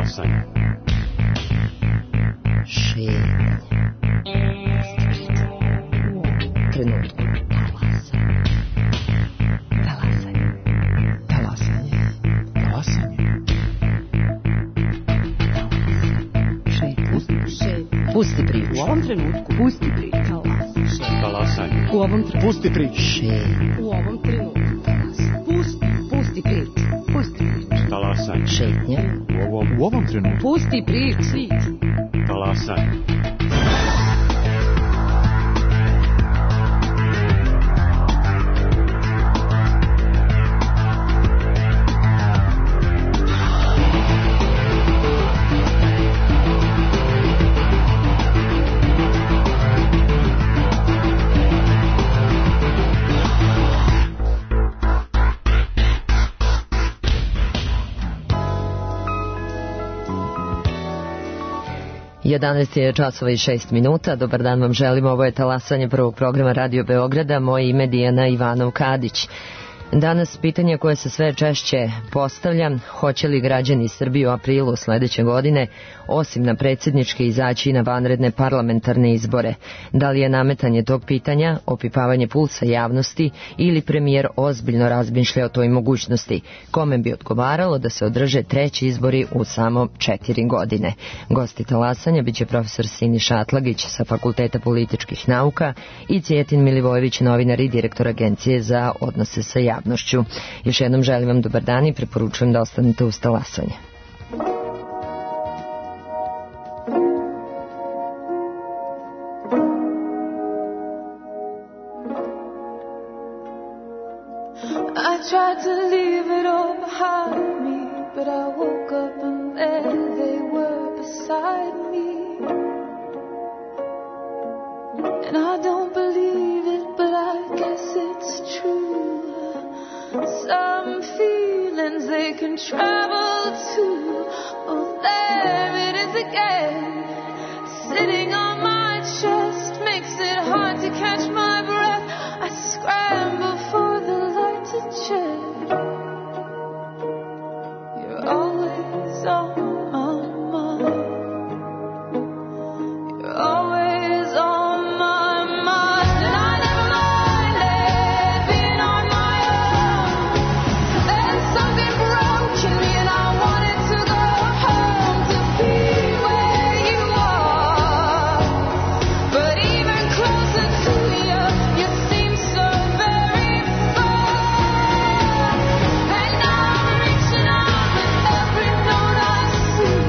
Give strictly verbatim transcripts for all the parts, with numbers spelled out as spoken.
Talasanje. Šetnje. Trenutku. Talasanje. Talasanje. Talasanje. Šetnje. Pusti priču. U ovom trenutku. Pusti priču. Talasanje. U ovom trenutku. Pusti priču. Šetnje. U ovom trenutku. Pusti. Pusti priču. Pusti priču. Talasanje. Šetnje. U ovom, u ovom trenutku. Pusti priču. Talasanje. jedanaest je časova i šest minuta. Dobar dan vam želimo. Ovo je talasanje prvog programa Radio Beograda. Moje ime Dijana Ivanov-Kadić. Danas pitanje koje se sve češće postavlja: hoće li građani Srbije u aprilu sledeće godine, osim na predsjedničke, izaći na vanredne parlamentarne izbore? Da li je nametanje tog pitanja opipavanje pulsa javnosti ili premijer ozbiljno razmišlja o toj mogućnosti? Kome bi odgovaralo da se održe treći izbori u samo četiri godine? Gosti talasanja biće profesor Siniša Atlagić sa Fakulteta političkih nauka i Cijetin Milivojević, novinar i direktor Agencije za odnose sa javnošću. Još jednom želim vam dobar dan i preporučujem da ostanete uz talasanje. I tried to leave it all behind me, but I woke up and there they were beside me. And I don't believe it, but I guess it's true. Some feelings they can travel to. Oh, there it is again, sitting on my chest, makes it hard to catch my breath. I scramble for the light to shed. You're always on my mind. You're always on my mind. And I never mind living on my own. There's something broken me and I wanted to go home to be where you are. But even closer to you, you seem so very far. And now I'm reaching out with every note I see.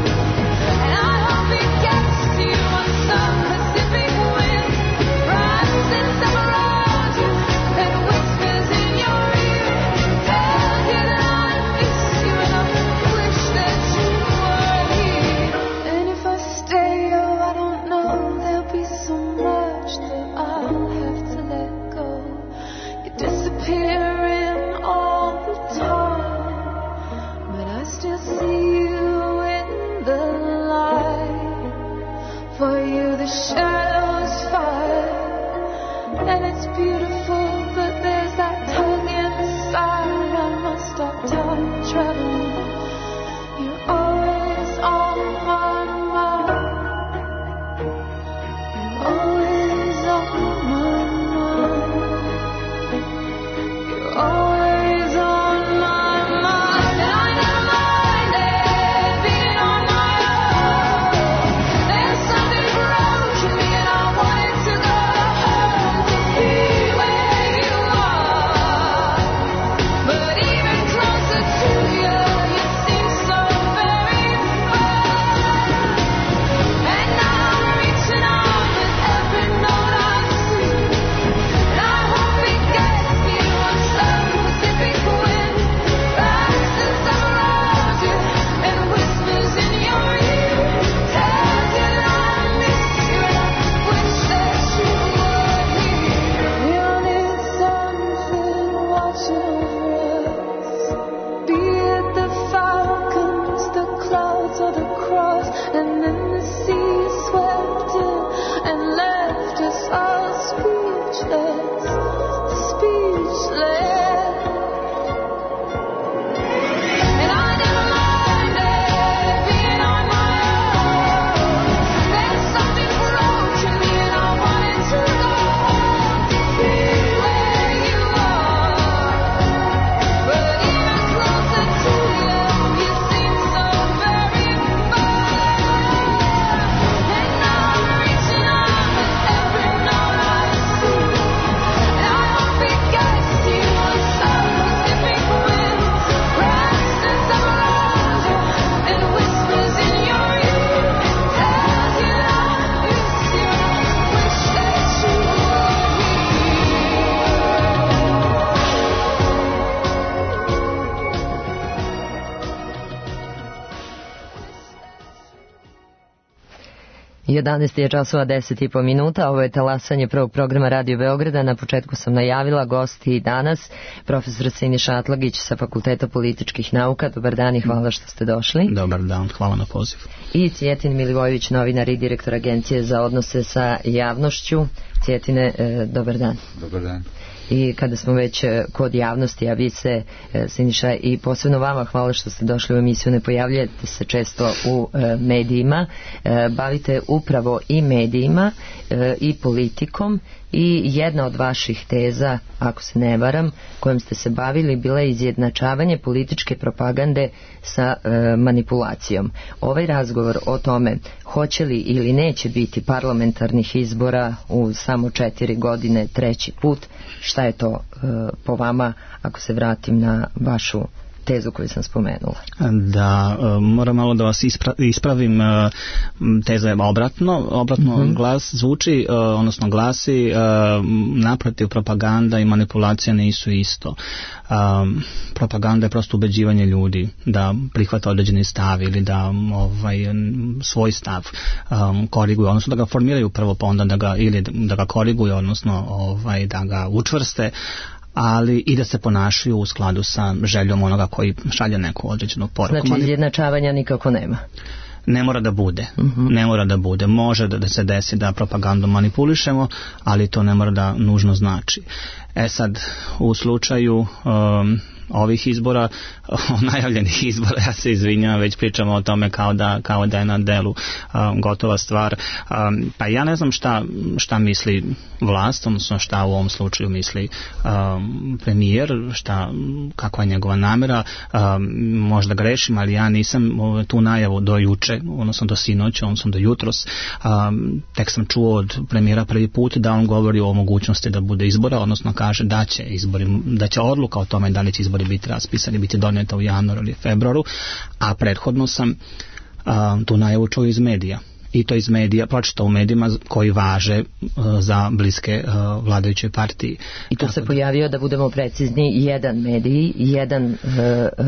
And I hope it gets to you on some Pacific wind. Rises up around you and whispers in your ear. Tells you that I miss you and I wish that you were here. And if I stay, oh, I don't know, there'll be so much that I'll have to let go. You're disappearing all the time, but I still see you in the light. For you the shadows fight, and it's beautiful, but there's that tug inside. I must stop time traveling. You're always on my mind. You're always on my mind. You're always on my mind. And I never mind living on my own. There's something broken me and I wanted to go home to be where you are. But even closer to you, you seem so very far. And now I'm reaching out with every note I see. And I hope it gets you on some Pacific wind. Rises up around you and whispers in your ear. Tells you that I miss you and I wish that you were here. We all need something watching over us. Be it the falcons, the clouds, or the cross. And then the sea swept in and left us all speechless, speechless. And I never mind living on jedanaest je časova deset i po minuta, ovo je talasanje prvog programa Radio Beograda. Na početku sam najavila gosti danas, profesor Siniša Atlagić sa Fakulteta političkih nauka. Dobar dan i hvala što ste došli. Dobar dan, hvala na pozivu. I Cjetin Milivojević, novinar i direktor Agencije za odnose sa javnošću. Cjetine, e, dobar dan. Dobar dan. I kada smo već kod javnosti, a vi se, Siniša, i posebno vama hvala što ste došli u emisiju, ne pojavljate se često u e, medijima, e, bavite upravo i medijima e, i politikom, i jedna od vaših teza, ako se ne varam, kojom ste se bavili, bila je izjednačavanje političke propagande sa e, manipulacijom. Ovaj razgovor o tome hoće li ili neće biti parlamentarnih izbora u samo četiri godine treći put, šta je to e, po vama, ako se vratim na vašu tezu koju sam spomenula? Da, moram malo da vas ispra- ispravim, teza je obratno, obratno mm-hmm. glas zvuči, odnosno glasi, naprotiv, propaganda i manipulacija nisu isto. Propaganda je prosto ubeđivanje ljudi da prihvata određeni stav ili da ovaj, svoj stav koriguju, odnosno da ga formiraju prvo, pa onda da ga, ili da ga koriguju, odnosno ovaj, da ga učvrste, ali i da se ponašaju u skladu sa željom onoga koji šalje neku određenu poruku. Znači izjednačavanja nikako nema? Ne mora da bude. Uh-huh. Ne mora da bude. Može da, da se desi da propagandom manipulišemo, ali to ne mora da nužno znači. E sad, u slučaju um, ovih izbora, najavljenih izbora, ja se izvinjam, već pričamo o tome kao da, kao da je na delu um, gotova stvar. Um, pa ja ne znam šta, šta misli vlast, odnosno šta u ovom slučaju misli um, premijer, šta, kakva je njegova namera. Um, možda grešim, ali ja nisam tu najavu do juče, odnosno do sinoć, odnosno do jutros. Um, tek sam čuo od premijera prvi put da on govori o mogućnosti da bude izbora, odnosno kaže da će izbori, da će odluka o tome da li će izbori biti raspisani, biti donijeta u januaru ili februaru, a prethodno sam a, tu najavu čuo iz medija. I to iz medija, pročitao u medijima koji važe uh, za bliske uh, vladajućoj partiji. I tu se da pojavio, da budemo precizni, jedan medij, jedan uh, uh,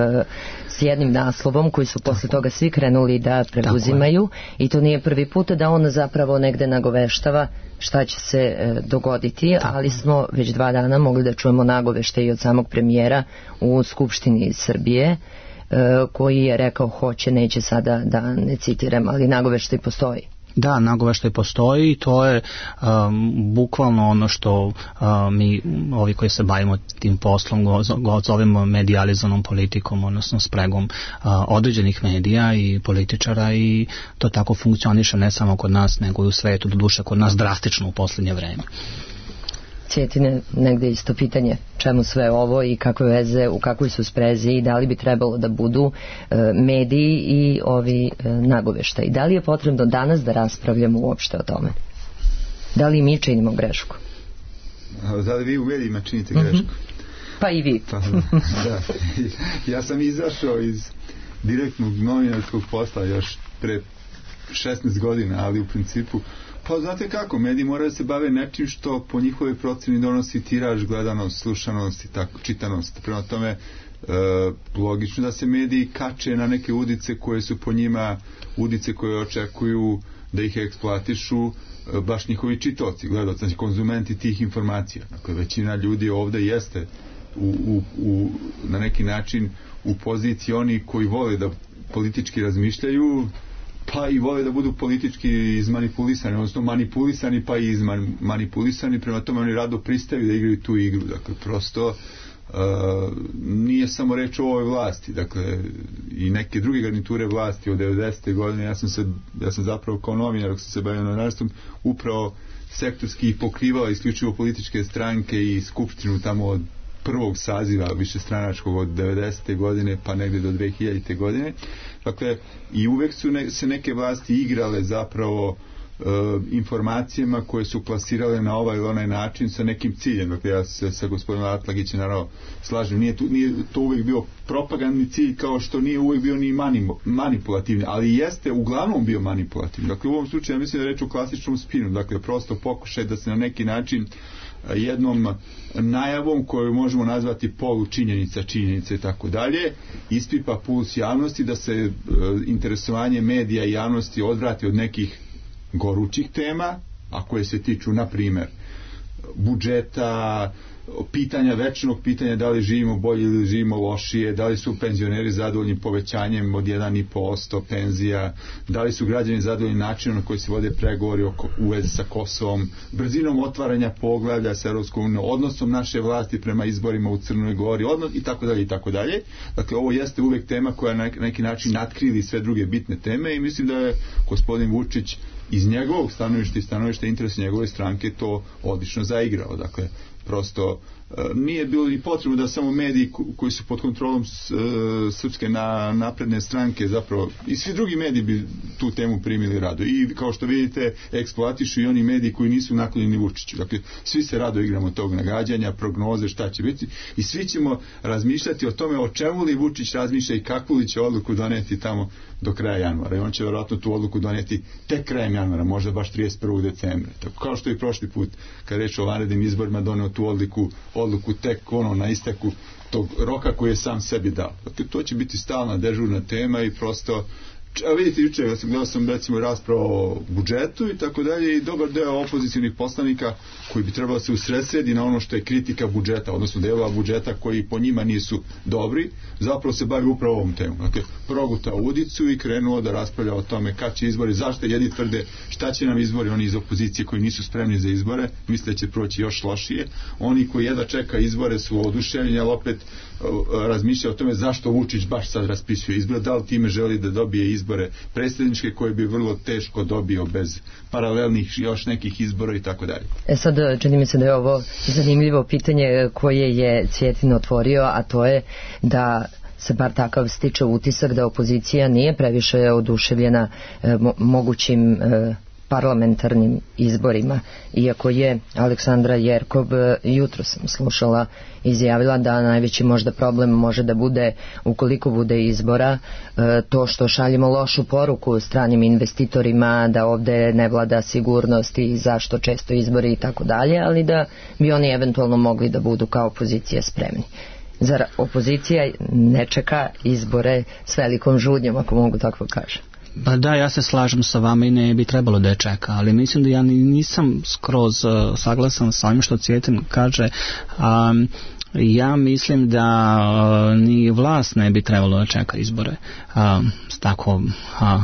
s jednim naslovom koji su posle toga svi krenuli da preuzimaju, i to nije prvi put da on zapravo negde nagoveštava šta će se uh, dogoditi, tako. Ali smo već dva dana mogli da čujemo nagovešte i od samog premijera u Skupštini Srbije, koji je rekao hoće, neće, sada da ne citiram, ali nagoveštaj postoji. Da, nagoveštaj postoji i to je um, bukvalno ono što um, mi, ovi koji se bavimo tim poslom, go, go zovemo medijalizovanom politikom, odnosno spregom uh, određenih medija i političara, i to tako funkcioniše ne samo kod nas, nego i u svetu, doduše kod nas drastično u posljednje vreme. Cjetine, negde isto pitanje, čemu sve ovo i kakve veze, u kakvoj su sprezi i da li bi trebalo da budu e, mediji i ovi e, nagoveštaji. Da li je potrebno danas da raspravljamo uopšte o tome? Da li mi činimo grešku? Da li vi u medijima činite grešku? Mm-hmm. Pa i vi. Pa, da. Ja sam izašao iz direktnog novinarskog posla još pre šesnaest godina, ali u principu pa znate kako, mediji moraju da se bave nečim što po njihovoj proceni donosi tiraž, gledanost, slušanost i tako, čitanost. Prema tome, e, logično da se mediji kače na neke udice koje su po njima udice koje očekuju da ih eksploatišu e, baš njihovi čitaoci, gledaoci, znači konzumenti tih informacija. Dakle, većina ljudi ovde jeste u, u, u, na neki način u poziciji oni koji vole da politički razmišljaju, pa i vole da budu politički izmanipulisani, odnosno manipulisani, pa i izmanipulisani, prema tome oni rado pristaju da igraju tu igru. Dakle, prosto uh, nije samo reč o ovoj vlasti, dakle, i neke druge garniture vlasti od devedesete godine, ja sam se, ja sam zapravo kao novinar, ako sam se bavio novinarstvom, upravo sektorski pokrivao isključivo političke stranke i skupštinu tamo od prvog saziva višestranačkog od devedesete godine pa negde do dve hiljadite godine. Dakle, i uvek su ne, se neke vlasti igrale zapravo e, informacijama koje su plasirale na ovaj ili onaj način sa nekim ciljem. Dakle, ja se sa gospodinom Atlagićem naravno slažem, nije, tu, nije to uvek bio propagandni cilj, kao što nije uvek bio ni mani, manipulativni, ali jeste uglavnom bio manipulativni. Dakle, u ovom slučaju ja mislim da je reč o klasičnom spinu, dakle, prosto pokušaj da se na neki način jednom najavom koju možemo nazvati polučinjenica, činjenica i tako dalje, ispipa puls javnosti, da se e, interesovanje medija i javnosti odvrati od nekih gorućih tema, a koje se tiču, na primjer, budžeta, pitanja, večnog pitanja da li živimo bolje ili živimo lošije, da li su penzioneri zadovoljni povećanjem od jedan i po posto penzija, da li su građani zadovoljni načinom na koji se vode pregovori u vezi sa Kosovom, brzinom otvaranja poglavlja sa Europskom unijom, odnosom naše vlasti prema izborima u Crnoj Gori, odnos i tako dalje i tako dalje. Dakle, ovo jeste uvek tema koja na neki način natkrili sve druge bitne teme i mislim da je gospodin Vučić iz njegovog stanovišta i stanovišta interesa njegove stranke to odlično zaigrao. Dakle, prosto nije bilo ni potrebno da samo mediji koji su pod kontrolom Srpske napredne stranke zapravo, i svi drugi mediji bi tu temu primili rado. I kao što vidite, eksploatišu i oni mediji koji nisu naklonjeni Vučiću. Dakle, svi se rado igramo tog nagađanja, prognoze, šta će biti, i svi ćemo razmišljati o tome o čemu li Vučić razmišlja i kakvu li će odluku doneti tamo do kraja januara. I on će vjerojatno tu odluku doneti tek krajem januara, možda baš trideset prvog decembra. Tako kao što i prošli put, kad reč o vanrednim izborima, doneo tu odluku, odluku tek ono na isteku tog roka koji je sam sebi dao. Dakle, to će biti stalna dežurna tema i prosto, a vidite, juče ja sam gledao sam recimo raspravu o budžetu i tako dalje, i dobar deo opozicijnih poslanika koji bi trebalo se usredsredi na ono što je kritika budžeta, odnosno delova budžeta koji po njima nisu dobri, zapravo se bavi upravo ovom temu. Dakle, progutao udicu i krenuo da raspravlja o tome kad će izbori, zašto jedni tvrde šta će nam izbori, oni iz opozicije koji nisu spremni za izbore, misle da će proći još lošije, oni koji jedva čeka izbore su oduševljeni, ali opet razmišlja o tome zašto Vučić baš sad raspisuje izbore, da li time želi da dobije izbore predsjedničke koje bi vrlo teško dobio bez paralelnih još nekih izbora i tako dalje. E sad, čini mi se da je ovo zanimljivo pitanje koje je Cvjetin otvorio, a to je da se bar takav stiče utisak da opozicija nije previše oduševljena e, mo- mogućim e, parlamentarnim izborima, iako je Aleksandra Jerkov, jutro sam slušala, izjavila da najveći možda problem može da bude, ukoliko bude izbora, to što šaljemo lošu poruku stranim investitorima da ovde ne vlada sigurnost i zašto često izbori i tako dalje, ali da bi oni eventualno mogli da budu kao opozicija spremni. Zar opozicija ne čeka izbore s velikom žudnjom, ako mogu tako kažem? Pa da, ja se slažem sa vama i ne bi trebalo da je čeka, ali mislim da ja nisam skroz uh, saglasan sa ovim što Cvjetin kaže. Um, ja mislim da uh, ni vlast ne bi trebalo da čeka izbore uh, tako uh,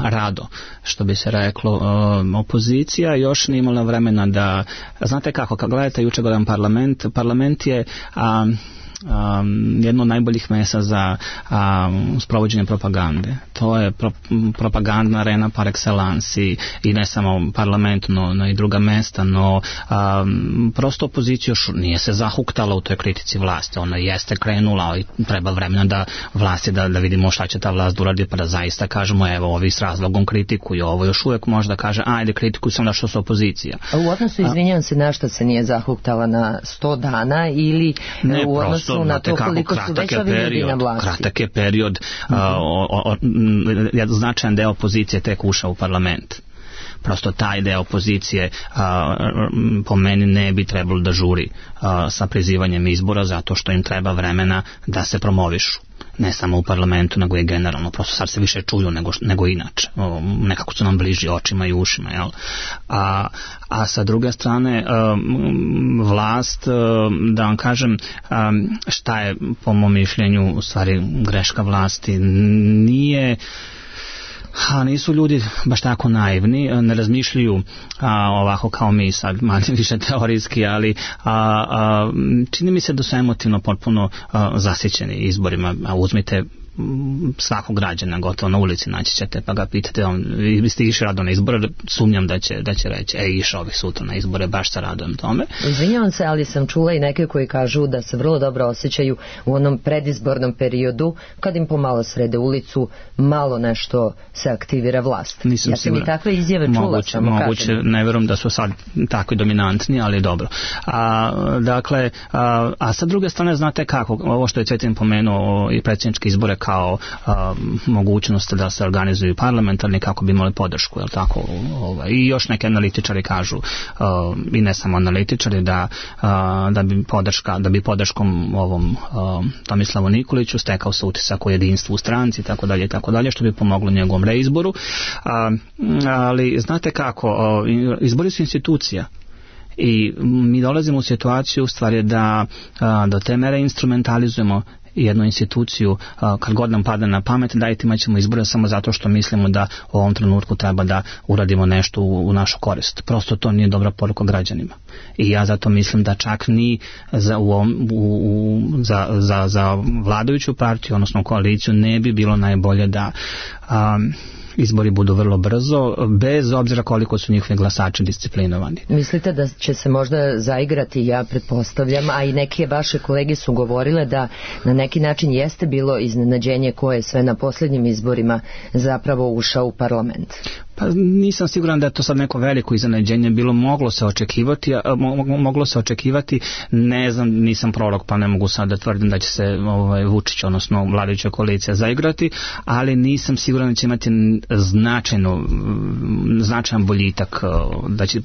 rado, što bi se reklo. Uh, opozicija još nije imala vremena da, znate kako, kad gledate juče gledam parlament, parlament je um, Um, jedno od najboljih mjesta za um, sprovođenje propagande. To je pro, propagandna arena par excellence i, i ne samo parlament, no, no i druga mjesta, no um, prosto opozicija još nije se zahuktala u toj kritici vlasti. Ona jeste krenula i treba vremena da vlasti da, da vidimo šta će ta vlast uradi, pa da zaista kažemo evo ovi s razlogom kritikuju, ovo još uvijek može da kaže ajde kritikuju sam da što su opozicija. A u odnosu, izvinjavam se, na što se nije zahuktala, na sto dana ili ne, u odnosu prosto, na to koliko su već ovi ljudi na vlasti? Kratak je period, mm-hmm. a, o, o, o, značajan deo opozicije tek ušao u parlament. Prosto taj deo opozicije a, po meni ne bi trebalo da žuri a, sa prizivanjem izbora, zato što im treba vremena da se promovišu. Ne samo u parlamentu, nego i generalno. Prosto sad se više čuju nego, nego inače. O, nekako su nam bliži očima i ušima. Jel? A, a sa druge strane, um, vlast, um, da vam kažem, um, šta je po mom mišljenju u stvari greška vlasti, nije... A nisu ljudi baš tako naivni, ne razmišljaju a, ovako kao mi sad, manje više teorijski, ali a, a, čini mi se da su emotivno potpuno a, zasićeni izborima. A uzmite svakog građana gotovo na ulici naći ćete pa ga pitate on, vi ste išli rado na izbore, sumnjam da će, da će reći e išao bih sutra na izbore, baš se radujem tome. Izvinjavam se, ali sam čula i neke koji kažu da se vrlo dobro osjećaju u onom predizbornom periodu kad im pomalo srede ulicu, malo nešto se aktivira vlast. Nisam ja sam i takve izjave čula, moguće, samo moguće, kažem. Ne vjerujem da su sad tako dominantni, ali dobro. A, dakle, a, a sa druge strane znate kako, ovo što je Cvjetin pomenuo i predsjedničke izbore kao a, mogućnost da se organizuju parlamentarni kako bi imali podršku, jel tako? Ovaj, i još neki analitičari kažu a, i ne samo analitičari da, a, da bi podrška da bi podrškom ovom a, Tomislavu Nikoliću stekao se utisak o jedinstvu u stranci i tako dalje i tako dalje, što bi pomoglo njegovom reizboru. A, ali znate kako, a, izbori su institucija. I mi dolazimo u situaciju u stvari da a, do te mere instrumentalizujemo jednu instituciju, a, kad god nam padne na pamet, dajte imat ćemo izbore samo zato što mislimo da u ovom trenutku treba da uradimo nešto u, u našu korist. Prosto to nije dobra poruka građanima. I ja zato mislim da čak ni za, u, u, u, za, za, za vladajuću partiju, odnosno koaliciju, ne bi bilo najbolje da a, izbori budu vrlo brzo, bez obzira koliko su njihovi glasači disciplinovani. Mislite da će se možda zaigrati, ja pretpostavljam, a i neke vaše kolege su govorile da na neki način jeste bilo iznenađenje ko je sve na posljednjim izborima zapravo ušao u parlament? Pa nisam siguran da je to sad neko veliko iznenađenje bilo, moglo se očekivati, mo, moglo se očekivati, ne znam, nisam prorok pa ne mogu sad da tvrdim da će se ovaj, Vučić, odnosno vladajuća koalicija zaigrati, ali nisam siguran da će imati značajno, značajan boljitak, da će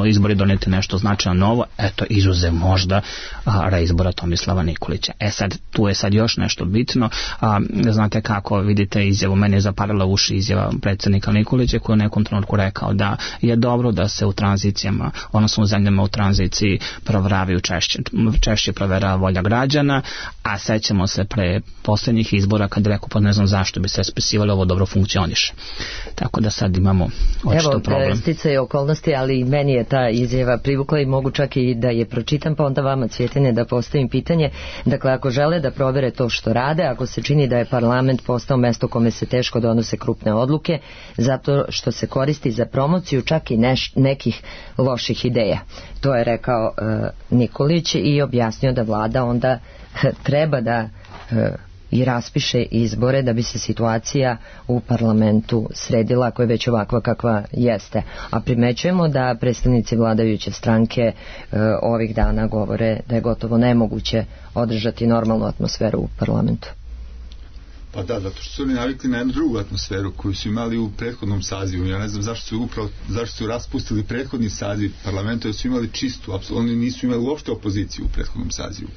izbori doneti nešto značajno novo, eto izuzev možda a, reizbora Tomislava Nikolića. E sad, tu je sad još nešto bitno, a, znate kako, vidite izjavu, meni je zaparila uši izjava predsjednika Nikolića koji je u nekom trenutku rekao da je dobro da se u tranzicijama, odnosno u zemljama u tranziciji provjeravaju češće, češće provjerava volja građana, a sećamo se pre posljednjih izbora kad je rekao, pa ne znam zašto bi se raspisivalo, ovo dobro funkcioniše. Tako da sad imamo očito problem. Evo, sticaj okolnosti, ali i meni je ta izjava privukla i mogu čak i da je pročitam, pa onda vama, Cvjetine, da postavim pitanje. Dakle, ako žele da provere to što rade, ako se čini da je parlament postao mesto kome se teško donose krupne odluke, zato što se koristi za promociju čak i neš, nekih loših ideja. To je rekao e, Nikolić i objasnio da vlada onda e, treba da e, i raspiše izbore da bi se situacija u parlamentu sredila, ako je već ovakva kakva jeste. A primećujemo da predstavnici vladajuće stranke e, ovih dana govore da je gotovo nemoguće održati normalnu atmosferu u parlamentu. Pa da, zato što su oni navikli na jednu drugu atmosferu koju su imali u prethodnom sazivu. Ja ne znam zašto su upravo, zašto su raspustili prethodni saziv parlamenta, jer su imali čistu, oni nisu imali uopšte opoziciju u prethodnom sazivu.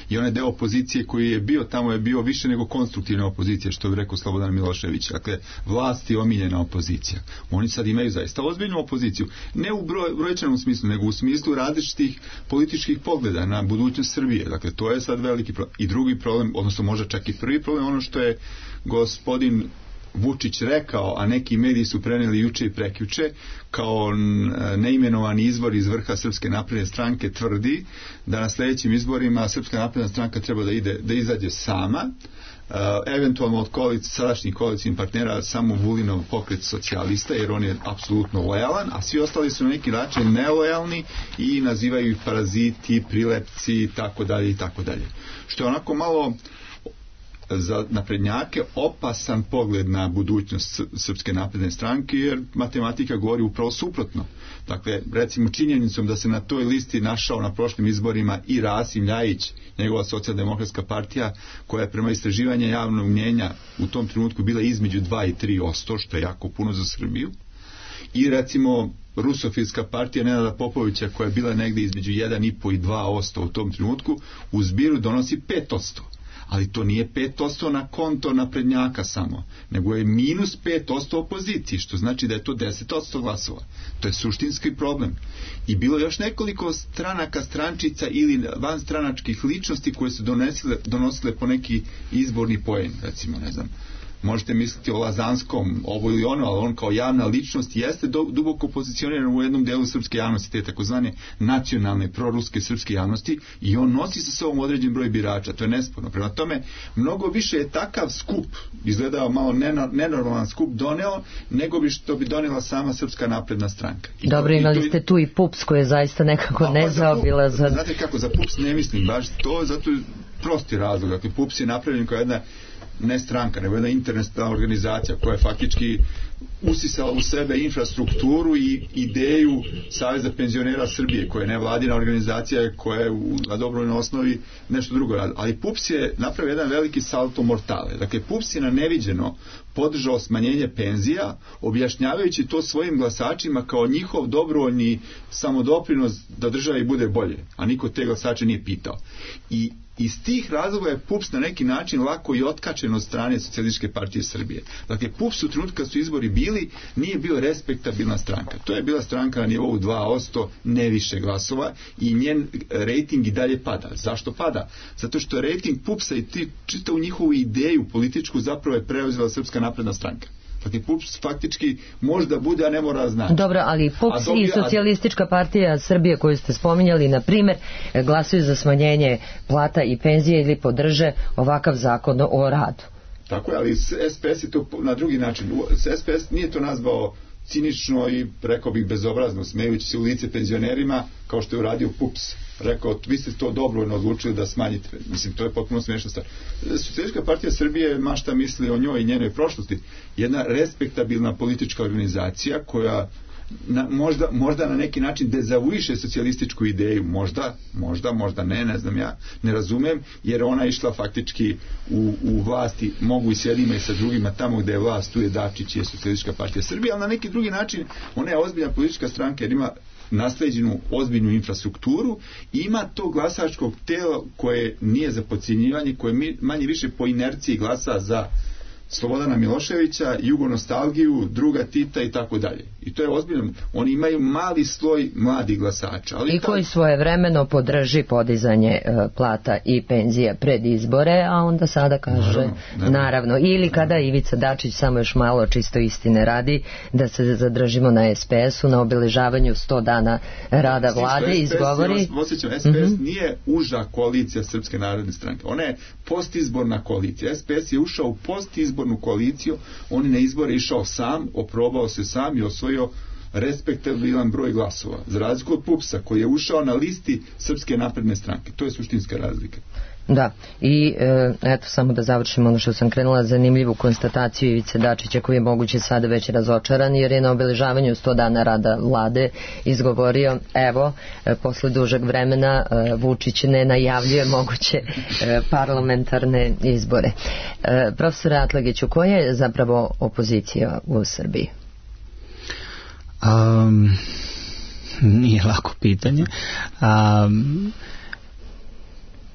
I onaj deo opozicije koji je bio tamo je bio više nego konstruktivna opozicija, što bi rekao Slobodan Milošević. Dakle, vlast je omiljena opozicija. Oni sad imaju zaista ozbiljnu opoziciju. Ne u broj, brojčanom smislu, nego u smislu različitih političkih pogleda na budućnost Srbije. Dakle, to je sad veliki problem. I drugi problem, odnosno možda čak i prvi problem, ono što je gospodin Vučić rekao, a neki mediji su preneli juče i prekjuče, kao neimenovani izvor iz vrha Srpske napredne stranke tvrdi da na sljedećim izborima Srpska napredna stranka treba da ide da izađe sama, uh, eventualno od koalic, sadašnjih koalicijnih partnera samo Vulinov pokret socijalista, jer on je apsolutno lojalan, a svi ostali su na neki način nelojalni i nazivaju ih paraziti, prilepci i tako dalje i tako dalje. Što je onako malo za naprednjake opasan pogled na budućnost Srpske napredne stranke, jer matematika govori upravo suprotno. Dakle, recimo činjenicom da se na toj listi našao na prošlim izborima i Rasim Ljajić, njegova socijaldemokratska partija, koja je prema istraživanju javnog mnjenja u tom trenutku bila između dva i tri posto, što je jako puno za Srbiju, i recimo rusofilska partija Nenada Popovića, koja je bila negdje između jedan i po i dva posto u tom trenutku, u zbiru donosi pet posto. Ali to nije pet posto na konto naprednjaka samo, nego je minus pet posto opoziciji, što znači da je to deset posto glasova. To je suštinski problem. I bilo još nekoliko stranaka, strančica ili vanstranačkih ličnosti koje su donesile, donosile po neki izborni poen, recimo, ne znam. Možete misliti o Lazanskom, ovo ili ono, ali on kao javna ličnost jeste do, duboko pozicioniran u jednom delu srpske javnosti, te takozvane nacionalne, proruske srpske javnosti, i on nosi sa sobom određen broj birača, to je nesporno. Prema tome, mnogo više je takav skup, izgledao malo nenormalan skup, doneo, nego bi što bi donijela sama Srpska napredna stranka. I Dobro, to, imali to, ste tu i PUPS koji je zaista nekako pa, nezaobilazan. Znate kako, za PUPS ne mislim baš to, zato je prosti razlog. Dakle, PUPS je napravljen kao jedna ne stranka, nego jedna internacionalna organizacija koja je faktički usisala u sebe infrastrukturu i ideju Saveza penzionera Srbije, koja je nevladina organizacija, koja je u, na dobrovoljnoj osnovi nešto drugo radi. Ali P U P S je napravio jedan veliki salto mortale. Dakle, P U P S je na neviđeno podržao smanjenje penzija, objašnjavajući to svojim glasačima kao njihov dobrovoljni samodoprinos da državi bude bolje, a niko te glasače nije pitao. I iz tih razloga je P U P S na neki način lako i otkačen od strane Socijalističke partije Srbije. Dakle, P U P S u trenutku kad su izbori bili, nije bio respektabilna stranka. To je bila stranka na nivou dva posto, ne više glasova, i njen rejting i dalje pada. Zašto pada? Zato što je rejting P U P S-a i ti čitavu njihovu ideju političku zapravo je preuzela Srpska napredna stranka. Dakle, P U P S faktički možda bude, a ne mora znači. Dobro, ali P U P S dobije, i Socijalistička partija Srbije koju ste spominjali, na primjer, glasuju za smanjenje plata i penzije ili podrže ovakav zakon o radu. Tako je, ali S P S je to na drugi način. S P S nije to nazvao cinično i, rekao bih, bezobrazno, smejući se u lice penzionerima, kao što je uradio P U P S. Rekao, vi ste to dobrovoljno odlučili da smanjite. Mislim, to je potpuno smiješna stvar. Socijalistička partija Srbije, ma šta misli o njoj i njenoj prošlosti, jedna respektabilna politička organizacija koja na, možda, možda na neki način dezavuiše socijalističku ideju, možda, možda, možda ne, ne znam ja, ne razumem, jer ona je išla faktički u, u vlasti, mogu i s jednima i sa drugima, tamo gde je vlast, tu je Dačić i je Socijalistička partija Srbije, ali na neki drugi način ona je ozbiljna politička stranka jer ima nasleđenu ozbiljnu infrastrukturu i ima to glasačkog tela koje nije za podcjenjivanje, koje manje više po inerciji glasa za Slobodana Miloševića, jugonostalgiju, druga Tita i tako dalje. I to je ozbiljno. Oni imaju mali sloj mladih glasača. Ali i koji ta... svojevremeno podrži podizanje uh, plata i penzija pred izbore, a onda sada kaže naravno, naravno. naravno. Ili kada Ivica Dačić, samo još malo čisto istine radi, da se zadržimo na S P S-u, na obeležavanju sto dana rada vlade, izgovori... S P S, osjećam, S P S mm-hmm. nije uža koalicija Srpske narodne stranke. Ona je postizborna koalicija. S P S je ušao u postizbornu koaliciju, on je na izbore išao sam, oprobao se sam i osvojio respektabilan broj glasova. Za razliku od P U P S-a koji je ušao na listi Srpske napredne stranke. To je suštinska razlika. Da, i e, eto samo da završimo ono što sam krenula, zanimljivu konstataciju Ivice Dačića koji je moguće sada već razočaran jer je na obeležavanju sto dana rada vlade izgovorio, evo, e, posle dužeg vremena e, Vučić ne najavljuje moguće e, parlamentarne izbore. E, profesore Atlagiću, koja je zapravo opozicija u Srbiji? Um, nije lako pitanje. Um,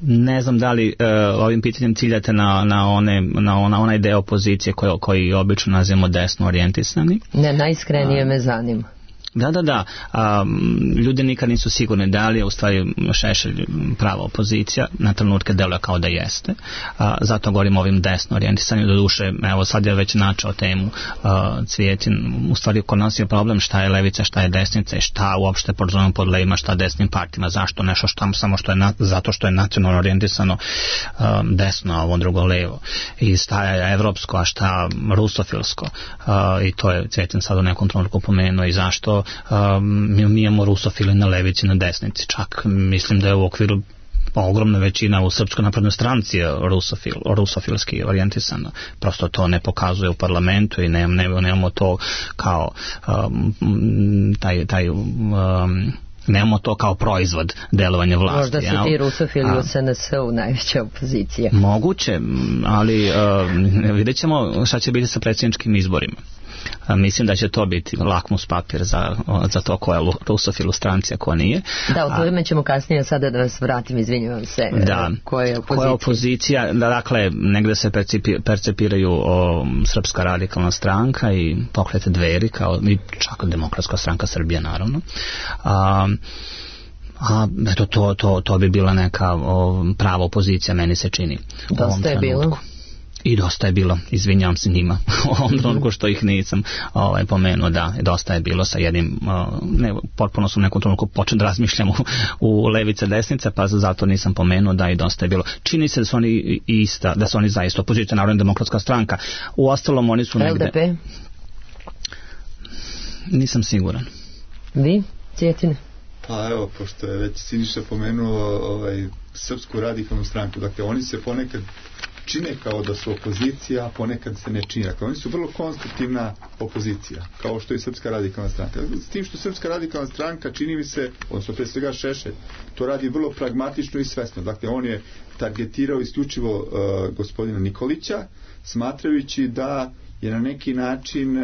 Ne znam da li uh, ovim pitanjem ciljate na, na, one, na ona, onaj deo opozicije koji, koji obično nazivamo desno orijentisani. Ne, najiskrenije me zanima. Da, da, da. Um, ljudi nikad nisu sigurni da li je u stvari Šešelj prava opozicija, na trenutke deluje kao da jeste. Uh, zato govorim o ovim desno orijentisanju. Do duše, evo sad je već načao temu uh, Cvijetin. U stvari kod nas je problem šta je levica, šta je desnica i šta uopšte podzovemo pod levima, šta desnim partijama, zašto nešto šta, samo što je na, zato što je nacionalno orijentisano um, desno, a ovo drugo levo. I šta je evropsko, a šta rusofilsko. Uh, I to je Cvijetin sad u nekom trenutku pomenuo i zašto Um, mi imamo rusofile na levici, na desnici. Čak mislim da je u okviru ogromna većina u Srpskoj naprednoj stranci rusofil, rusofilski orijentisana. Prosto to ne pokazuje u parlamentu i ne, ne, nemamo to kao um, taj, taj um, nemamo to kao proizvod delovanja vlasti. Možda su ti rusofili u S N S-u najveća opozicija. Moguće, ali uh, vidjet ćemo šta će biti sa predsjedničkim izborima. A mislim da će to biti lakmus papir za, za to koja je rusofil u stranci, a ko nije. Da, o tome ćemo kasnije, sada da vas vratim, izvinjavam se. Da, koja je opozicija? Koja je opozicija, da, dakle, negde se percipi, percepiraju o, Srpska radikalna stranka i Pokrete Dveri, kao i čak Demokratska stranka Srbije, naravno. A, a eto, to, to, to bi bila neka o, prava opozicija, meni se čini. Dosta je bilo. I dosta je bilo, izvinjavam se njima u ovom trenutku što ih nisam ovaj, pomenuo, da, dosta je bilo sa jednim, ne, potpuno sam u nekom trenutku počeo da razmišljam u, u levice desnice, pa zato nisam pomenuo, da, i dosta je bilo. Čini se da su oni ista, da su oni zaista opozicija, Narodna demokratska stranka. U ostalom oni su negde... L D P? Nisam siguran. Vi, Cvjetine? Pa evo, pošto je već Siniša pomenuo ovaj, Srpsku radikalnu stranku, dakle oni se ponekad čine kao da su opozicija, a ponekad se ne čine. Dakle, oni su vrlo konstruktivna opozicija, kao što je Srpska radikalna stranka. S tim što Srpska radikalna stranka, čini mi se, odnosno pre svega Šešelj, to radi vrlo pragmatično i svesno. Dakle, on je targetirao isključivo uh, gospodina Nikolića, smatrajući da je na neki način uh,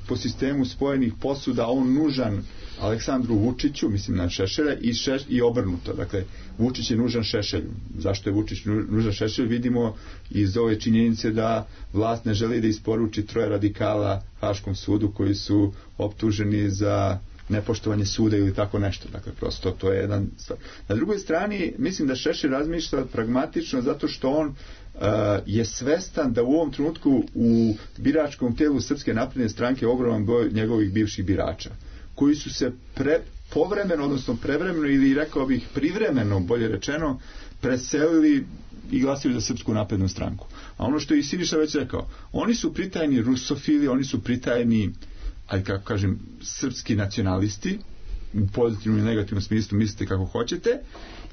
po sistemu spojenih posuda on nužan Aleksandru Vučiću, mislim na Šešelja, i, šeš, i obrnuto. Dakle, Vučić je nužan Šešelju. Zašto je Vučić nužan Šešelju? Vidimo iz ove činjenice da vlast ne želi da isporuči troje radikala Haškom sudu koji su optuženi za nepoštovanje suda ili tako nešto. Dakle, prosto to je jedan stvar. Na drugoj strani, mislim da Šešelj razmišlja pragmatično zato što on Uh, je svestan da u ovom trenutku u biračkom telu Srpske napredne stranke je ogroman broj njegovih bivših birača koji su se pre, povremeno, odnosno prevremeno ili rekao bih privremeno, bolje rečeno, preselili i glasili za Srpsku naprednu stranku. A ono što je i Siniša već rekao, oni su pritajni rusofili, oni su pritajni, aj kako kažem, srpski nacionalisti, u pozitivnom i negativnom smislu, mislite kako hoćete,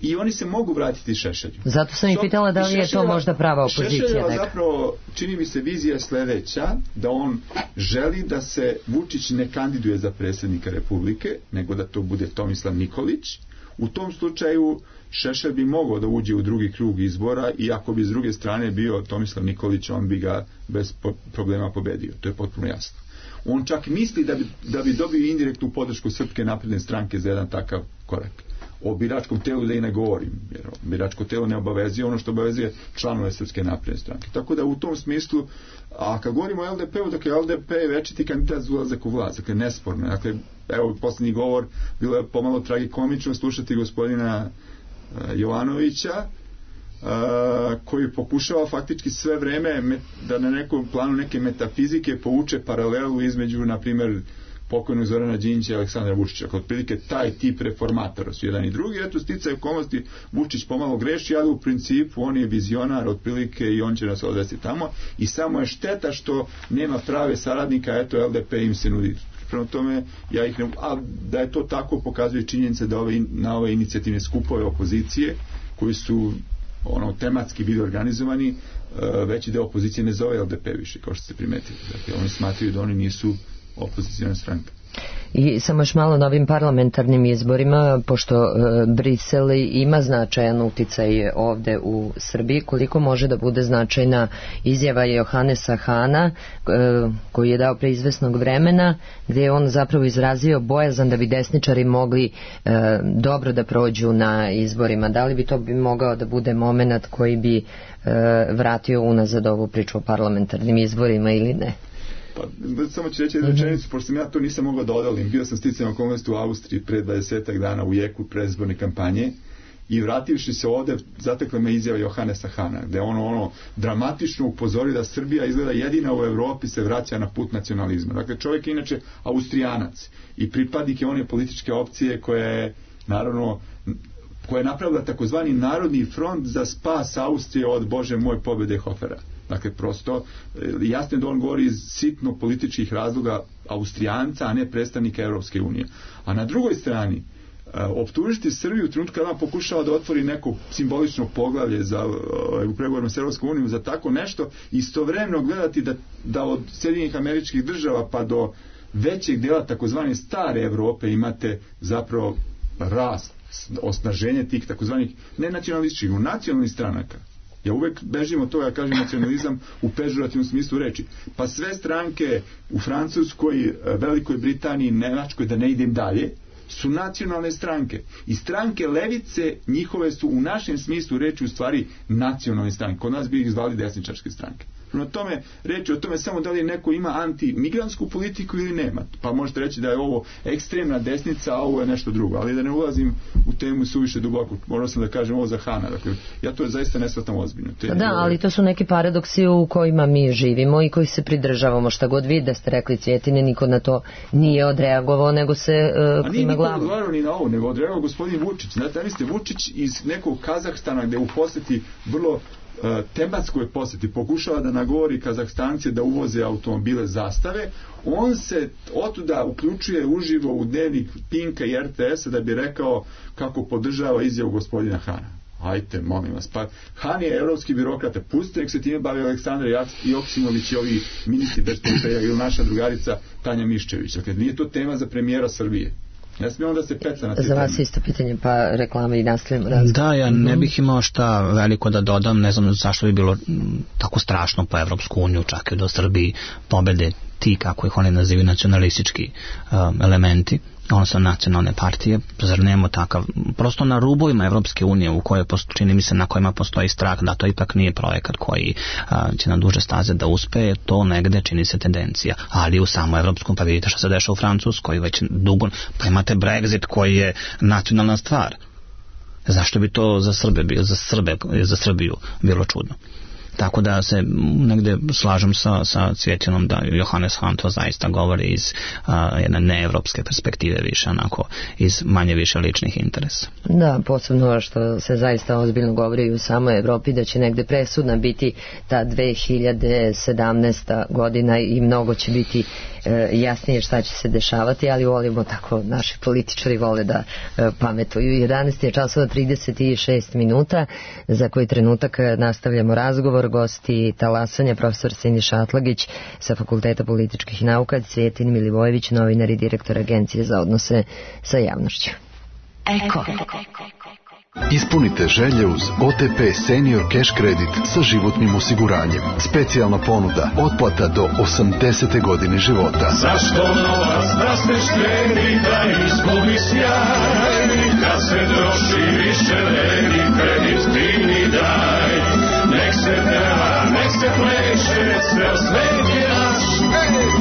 i oni se mogu vratiti Šešelju. Zato sam i pitala da li je to možda prava opozicija. Šešeljeva zapravo, čini mi se, vizija sledeća, da on želi da se Vučić ne kandiduje za predsjednika Republike, nego da to bude Tomislav Nikolić. U tom slučaju Šešelj bi mogao da uđe u drugi krug izbora i ako bi s druge strane bio Tomislav Nikolić, on bi ga bez problema pobedio. To je potpuno jasno. On čak misli da bi, da bi dobio indirektnu podršku Srpske napredne stranke za jedan takav korak. O biračkom telu da i ne govorim, jer biračko telo ne obavezuje ono što obavezuje članove Srpske napredne stranke. Tako da u tom smislu, a kad govorimo o el de pe-u, dakle el de pe je večiti kandidat za ulazak u vlast, dakle nesporno. Dakle, evo posljednji govor, bilo je pomalo tragikomično slušati gospodina uh, Jovanovića, Uh, koji pokušava faktički sve vreme met, da na nekom planu neke metafizike povuče paralelu između, na primjer, pokojnog Zorana Đinđića i Aleksandra Vučića. Kod prilike taj tip reformatora su jedan i drugi. Eto, sticaj okolnosti, Vučić pomalo greši, ali u principu on je vizionar otprilike i on će nas odvesti tamo. I samo je šteta što nema prave saradnika, eto, el de pe im se nudi. Prema tome, ja ih ne... A da je to tako, pokazuje činjenice da ove, na ove inicijativne skupove opozicije, koji su ono tematski bili organizovani, uh, veći deo opozicije ne zove el de pe više, kao što ste primetili. Dakle, oni smatraju da oni nisu opozicijna stranka. I samo još malo na ovim parlamentarnim izborima, pošto e, Brisel ima značajan uticaj ovde u Srbiji, koliko može da bude značajna izjava Johanesa Hana, e, koji je dao pre izvesnog vremena, gde je on zapravo izrazio bojazan da bi desničari mogli e, dobro da prođu na izborima. Da li bi to bi mogao da bude moment koji bi e, vratio unazad ovu priču o parlamentarnim izborima ili ne? Pa, samo ću reći jednu rečenicu, pošto sam ja to nisam mogao da odalim. Bio sam sticajem okolnosti u Austriji pre dvadesetak dana u jeku predizborne kampanje i vrativši se ovde, zatekla me izjava Johanesa Hana, gde ono, ono dramatično upozori da Srbija izgleda jedina u Evropi se vraća na put nacionalizma. Dakle, čovjek je inače Austrijanac i pripadnik je one političke opcije koja je, naravno, koja je napravila takozvani Narodni front za spas Austrije od, Bože moj, pobjede Hofera. Dakle, prosto, jasno je da on govori iz sitno političkih razloga Austrijanca, a ne predstavnika Europske unije. A na drugoj strani, optužiti Srbiju u trenutku kada ona pokušava da otvori neko simbolično poglavlje za, u pregovorima s Europskom unijom za tako nešto, istovremeno gledati da, da od Sjedinjenih Američkih Država pa do većeg dela takozvane stare Evrope imate zapravo rast, osnaženje tih takozvanih ne nacionalističkih, u nacionalnih stranaka. Ja uvek bežim od toga, ja kažem nacionalizam u pežorativnom smislu reči. Pa sve stranke u Francuskoj, Velikoj Britaniji, Nemačkoj, da ne idem dalje, su nacionalne stranke. I stranke levice, njihove su u našem smislu reči u stvari nacionalne stranke. Kod nas bi ih zvali desničarske stranke. Na tome reći o tome samo da li neko ima antimigrantsku politiku ili nema. Pa možete reći da je ovo ekstremna desnica, a ovo je nešto drugo. Ali da ne ulazim u temu suviše duboko. Morao sam da kažem ovo za Hana. Dakle, ja to zaista ne shvatam ozbiljno. Te da, ali to su neki paradoksi u kojima mi živimo i koji se pridržavamo. Šta god vi da ste rekli, Cvjetine, niko na to nije odreagovao, nego se uh, klima glavom. A nije niko odgovarao ni na ovo, nego odreagovao gospodin Vučić. Znate, vi ste Vučić iz nekog Kazahstana gde u poseti vrlo tematskoj posjeti pokušava da nagovori Kazahstance da uvoze automobile Zastave, on se otuda uključuje uživo u dnevnik Pinka i er te esa da bi rekao kako podržava izjavu gospodina Hana. Hajte, molim vas. Pa Han je evropski birokrata, pustite nek se time bavi Aleksandar Joksimović i ovi ministri bez portfelja ili naša drugarica Tanja Miščević. Dakle, nije to tema za premijera Srbije. Ne smije onda se peca na te Za vas teme. isto pitanje, pa reklama i nastavljamo razgovor. Da, ja ne bih imao šta veliko da dodam, ne znam zašto bi bilo tako strašno po Evropsku uniju, čak i do Srbiji pobede ti, kako ih oni nazivaju, nacionalistički um, elementi, odnosno nacionalne partije, zar nemo takav, prosto na rubovima Evropske unije u kojoj, čini mi se, na kojima postoji strah da to ipak nije projekat koji a, će na duže staze da uspe, to negde čini se tendencija, ali u samom evropskom, pa vidite što se dešava u Francuskoj već dugo, pa imate Brexit koji je nacionalna stvar. Zašto bi to za Srbe bio, za Srbe, za Srbiju bilo čudno? Tako da se negde slažem sa, sa Cvjetinom da Johannes Hahn to zaista govori iz a, jedne neevropske perspektive više, onako iz manje više ličnih interesa. Da, posebno što se zaista ozbiljno govori u samoj Evropi da će negde presudna biti ta dve hiljade sedamnaesta godina i mnogo će biti e, jasnije šta će se dešavati, ali volimo tako, naši političari vole da e, pametuju. jedanaest je časova trideset šest minuta, za koji trenutak nastavljamo razgovor. Gosti talasanja profesor Siniša Atlagić sa Fakulteta političkih nauka, Cvjetin Milivojević, novinar i direktor Agencije za odnose sa javnošću. Eko. Ispunite želje uz O T P Senior Cash Kredit sa životnim osiguranjem. Specijalna ponuda, otplata do osamdesete godine života. Zašto novac da se štedi, da izgubi sjaj, kad se troši više vredi, kredit fini daj. Nek se peva, nek se pleše, ceo svet je naš,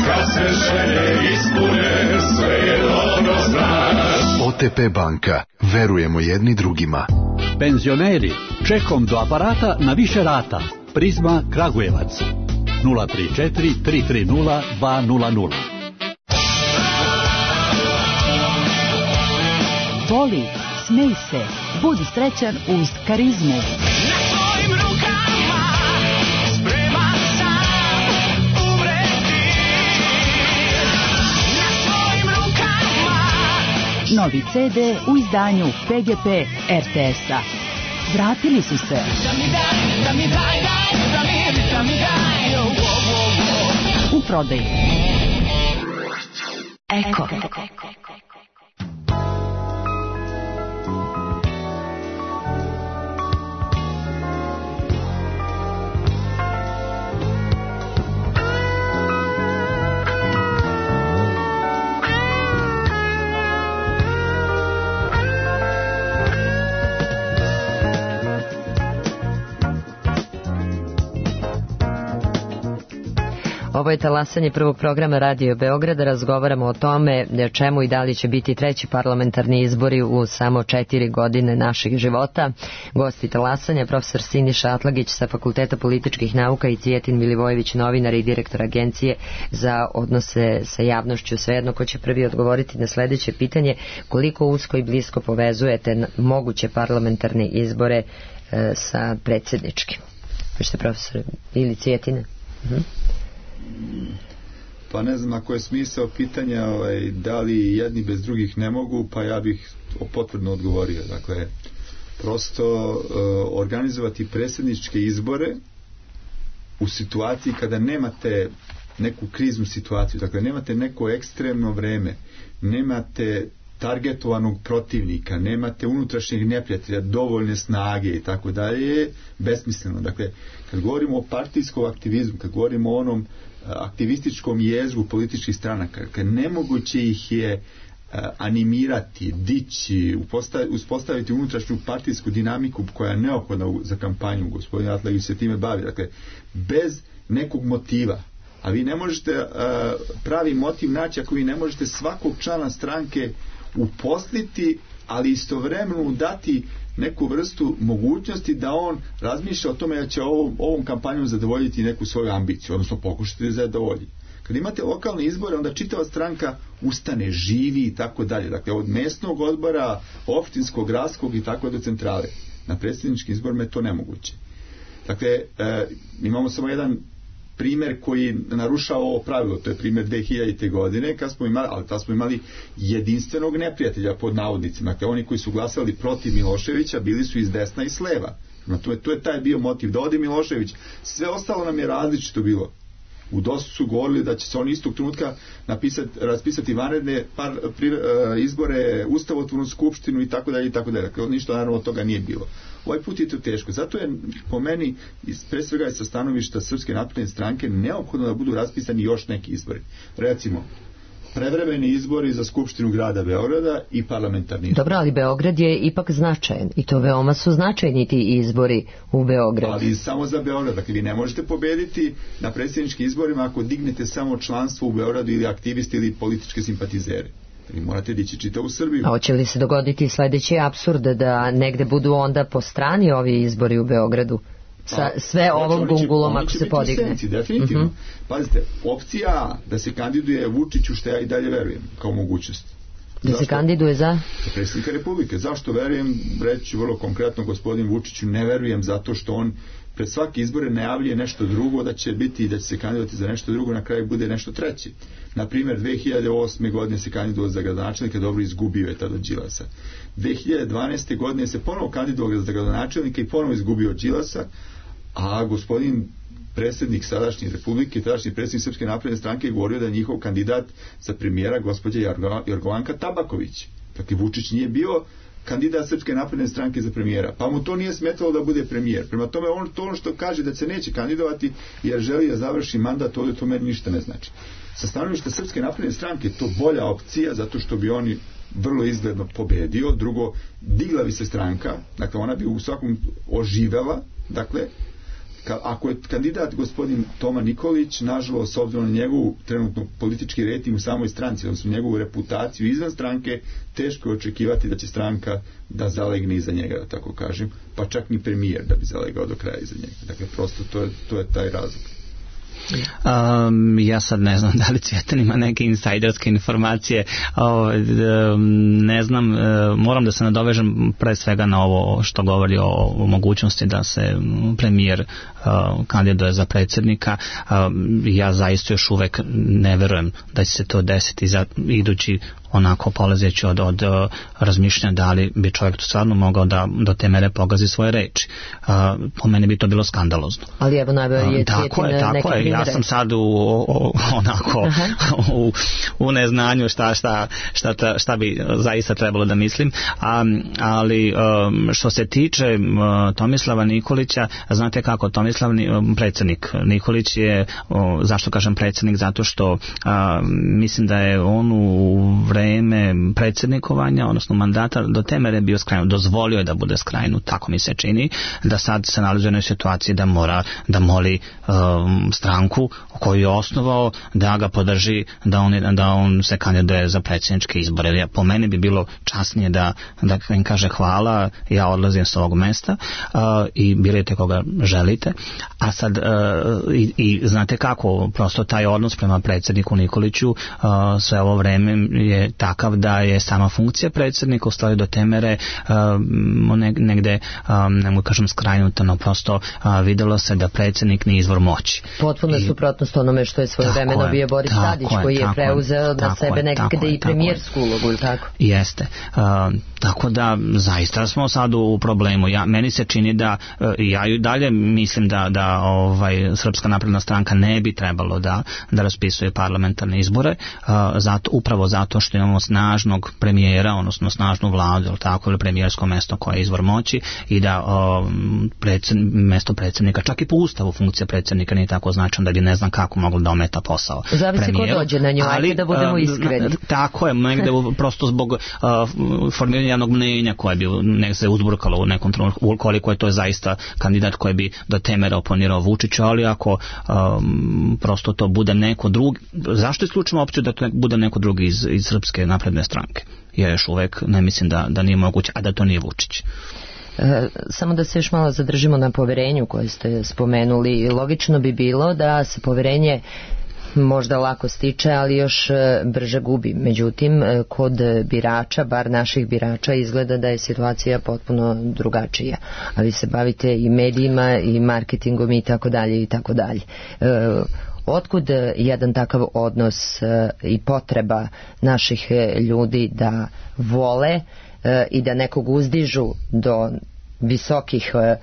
kad se želje ispune, sve je dobro znaš. O T P banka, verujemo jedni drugima. Penzioneri, čekom do aparata na više rata. Prizma Kragujevac nula tri četiri tri tri nula dva nula nula. Voli, smej se, budi srećan uz Karizmu. Novi C D u izdanju P G P R T S-a. Vratili su se. U prodaju. Eko. Ovo je talasanje prvog programa Radio Beograda. Razgovaramo o tome čemu i da li će biti treći parlamentarni izbori u samo četiri godine naših života. Gosti talasanja, profesor Siniša Atlagić sa Fakulteta političkih nauka i Cvjetin Milivojević, novinar i direktor Agencije za odnose sa javnošću. Svejedno ko će prvi odgovoriti na sledeće pitanje, koliko usko i blisko povezujete moguće parlamentarne izbore e, sa predsjedničkim? Pište profesor ili Cvjetine? Mhm. Pa ne znam ako je smisao pitanja ovaj, da li jedni bez drugih ne mogu, pa ja bih potvrdno odgovorio. Dakle, prosto uh, organizovati predsjedničke izbore u situaciji kada nemate neku kriznu situaciju, dakle nemate neko ekstremno vreme, nemate targetovanog protivnika, nemate unutrašnjeg neprijatelja, dovoljne snage i tako dalje, besmisleno. Dakle, kad govorimo o partijskom aktivizmu, kad govorimo o onom aktivističkom jezgu političkih stranaka, kad nemoguće ih je animirati, dići, uspostaviti unutrašnju partijsku dinamiku koja je neophodna za kampanju, gospodin Atlagić se time bavi, dakle, bez nekog motiva. A vi ne možete pravi motiv naći ako vi ne možete svakog člana stranke uposliti, ali istovremeno dati neku vrstu mogućnosti da on razmišlja o tome da će ovom, ovom kampanjom zadovoljiti neku svoju ambiciju, odnosno pokušati da zadovolji. Kad imate lokalne izbore, onda čitava stranka ustane, živi i tako dalje. Dakle, od mesnog odbora, opštinskog, gradskog i tako do centrale. Na predsjedničkim izborima je to nemoguće. Dakle, e, imamo samo jedan primjer koji narušava ovo pravilo, to je primjer dve hiljadite. godine, kad smo imali, ali tad smo imali jedinstvenog neprijatelja pod navodnicima. Dakle, oni koji su glasali protiv Miloševića bili su iz desna i s leva. No, to je, to je taj bio motiv, da ode Milošević. Sve ostalo nam je različito bilo. U dosta su govorili da će se oni istog trenutka napisati, raspisati vanredne par, pri, uh, izbore, ustavotvornu skupštinu i tako dalje i tako dalje. Dakle, ništa naravno od toga nije bilo. Ovaj put je to teško. Zato je po meni, pre svega je sa stanovišta Srpske napredne stranke, neophodno da budu raspisani još neki izbori. Recimo, prevremeni izbori za Skupštinu grada Beograda i parlamentarni izbori. Dobro, ali Beograd je ipak značajan i to veoma su značajni ti izbori u Beogradu. Ali samo za Beograd. Dakle, vi ne možete pobediti na predsjedničkim izborima ako dignete samo članstvo u Beogradu ili aktivisti ili političke simpatizere. Vi morate dići čitavu Srbiju. A hoće li se dogoditi sledeći apsurd da negde budu onda po strani ovi izbori u Beogradu? Sa sve A, ovom gungulom ako se podigne. Senci, definitivno. Uh-huh. Pazite, opcija A, da se kandiduje Vučiću, što ja i dalje verujem, kao mogućnost. Da Zašto? Se kandiduje za? Za predsjednika Republike. Zašto verujem? Reći vrlo konkretno gospodin Vučiću, ne verujem zato što on pred svaki izbore najavljuje nešto drugo, da će biti i da će se kandidovati za nešto drugo, na kraju bude nešto treće. Na primjer, dve hiljade osme. godine se kandidovao za gradonačelnika, dobro izgubio je tada od Đilasa. dve hiljade dvanaeste. godine se ponovo kandidovao za gradonačelnika i ponovo izgubio od Đilasa, a gospodin predsjednik sadašnje Republike, tadašnji predsjednik Srpske napredne stranke je govorio da je njihov kandidat za premijera gospođa Jorgovanka Tabaković. Dakle, Vučić nije bio kandidat Srpske napredne stranke za premijera, pa mu to nije smetalo da bude premijer. Prema tome, on to ono što kaže da se neće kandidovati jer želi da završi mandat, ovdje to meni ništa ne znači. Sa stanovišta Srpske napredne stranke to bolja opcija, zato što bi oni vrlo izgledno pobedio. Drugo, digla bi se stranka, dakle ona bi u svakom oživela, dakle, Ka, ako je kandidat gospodin Toma Nikolić, nažalost, s obzirom na njegovu trenutno politički rating u samoj stranci, odnosno njegovu reputaciju izvan stranke, teško je očekivati da će stranka da zalegne iza njega, da tako kažem, pa čak ni premijer da bi zalegao do kraja iza njega. Dakle, prosto to je, to je taj razlog. Um, ja sad ne znam da li Cvjetan ima neke insajderske informacije, o, ne znam, moram da se nadovežem pre svega na ovo što govori o, o mogućnosti da se premijer uh, kandiduje za predsjednika. Uh, ja zaista još uvek ne verujem da će se to desiti za idući onako polazeći od, od uh, razmišljanja da li bi čovjek to stvarno mogao da do te mere pogazi svoje reči. Uh, po mene bi to bilo skandalozno. Ali evo najbolje je uh, tako je, tako je. Ja sam sad u, o, onako u, u neznanju šta, šta, šta, šta, šta bi zaista trebalo da mislim. A, ali um, što se tiče um, Tomislava Nikolića, znate kako, Tomislav um, predsjednik Nikolić je, um, zašto kažem predsjednik, zato što um, mislim da je on u vreme predsjednikovanja, odnosno mandata do te mere bio skrajnut, dozvolio je da bude skrajnut, tako mi se čini, da sad se nalazi u jednoj situaciji da mora da moli um, stranku koju je osnovao da ga podrži, da on, da on se kandiduje za predsjedničke izbore. Ja, po meni bi bilo časnije da, da im kaže hvala, ja odlazim s ovog mesta uh, i birajte koga želite. A sad uh, i, i znate kako, prosto taj odnos prema predsjedniku Nikoliću uh, sve ovo vreme je takav da je sama funkcija predsjednika u stvari do te mere um, negde, um, ne mogu kažem skrajnuta, no prosto uh, videlo se da predsjednik nije izvor moći. Potpuno je suprotnost onome što je svoje vremeno bio Boris Tadić, koji je preuzeo na sebe nekde i premijersku ulogu, tako? Jeste. Uh, tako da zaista smo sad u problemu. Ja, meni se čini da uh, ja i dalje mislim da, da ovaj, Srpska napredna stranka ne bi trebalo da, da raspisuje parlamentarne izbore, uh, zato, upravo zato što imamo snažnog premijera, odnosno snažnu vladu, ili tako, ili premijersko mesto koje je izvor moći i da um, predsjed, mesto predsjednika, čak i po ustavu funkcija predsjednika nije tako značajna da bi ne znam kako moglo da ometa posao. Zavisi ko dođe na nju, ali da budemo iskreni. Tako je, negde prosto zbog uh, formiranja javnog mnenja koje bi nek se uzburkalo u nekom trenutku, koliko je to zaista kandidat koji bi do te mere oponirao Vučiću, ali ako um, prosto to bude neko drugi, zašto isključimo opciju da to bude neko drugi iz, iz Srpske napredne stranke? Ja još uvek ne mislim da, da nije moguće, a da to nije Vučić. E, samo da se još malo zadržimo na poverenju koje ste spomenuli. Logično bi bilo da se poverenje možda lako stiče, ali još e, brže gubi. Međutim, e, kod birača, bar naših birača, izgleda da je situacija potpuno drugačija. A vi se bavite i medijima i marketingom i tako dalje i tako dalje. E, Otkud jedan takav odnos e, i potreba naših e, ljudi da vole e, i da nekog uzdižu do visokih e,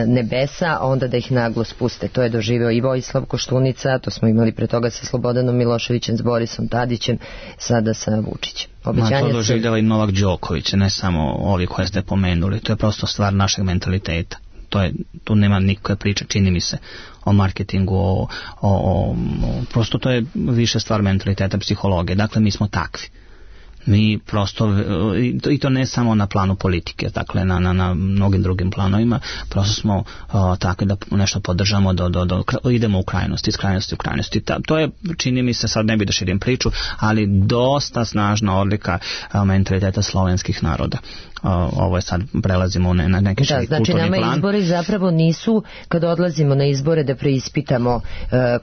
nebesa, a onda da ih naglo spuste? To je doživeo i Vojislav Koštunica, to smo imali pre toga sa Slobodanom Miloševićem, s Borisom Tadićem, sada sa Vučićem. Ma to doživljava i Novak Đoković, ne samo ovi koje ste pomenuli, to je prosto stvar našeg mentaliteta. To je, tu nema nikakve priče, čini mi se, o marketingu, o, o, o, prosto to je više stvar mentaliteta, psihologije. Dakle, mi smo takvi. Mi prosto, i to ne samo na planu politike, dakle na, na, na mnogim drugim planovima, prosto smo o, takvi da nešto podržamo, do, do, do, idemo u krajnosti, iz krajnosti u krajnosti. Ta, to je, čini mi se, sad ne bi da širim priču, ali dosta snažna odlika o, mentaliteta slovenskih naroda. O, ovo je sad, prelazimo na neki širi kulturni plan. Znači nama izbori zapravo nisu, kada odlazimo na izbore, da preispitamo uh,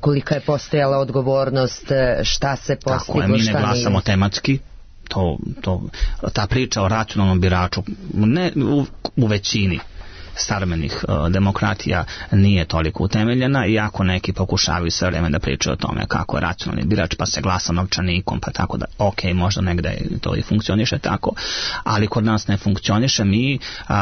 kolika je postojala odgovornost, šta se postiglo, šta nije. Tako je, mi ne glasamo tematski. To, to, ta priča o racionalnom biraču ne, u, u većini savremenih uh, demokratija nije toliko utemeljena, iako neki pokušavaju sve vreme da pričaju o tome kako je racionalni birač, pa se glasa novčanikom, pa tako da, ok, možda negde to i funkcioniše tako, ali kod nas ne funkcioniše. Mi uh,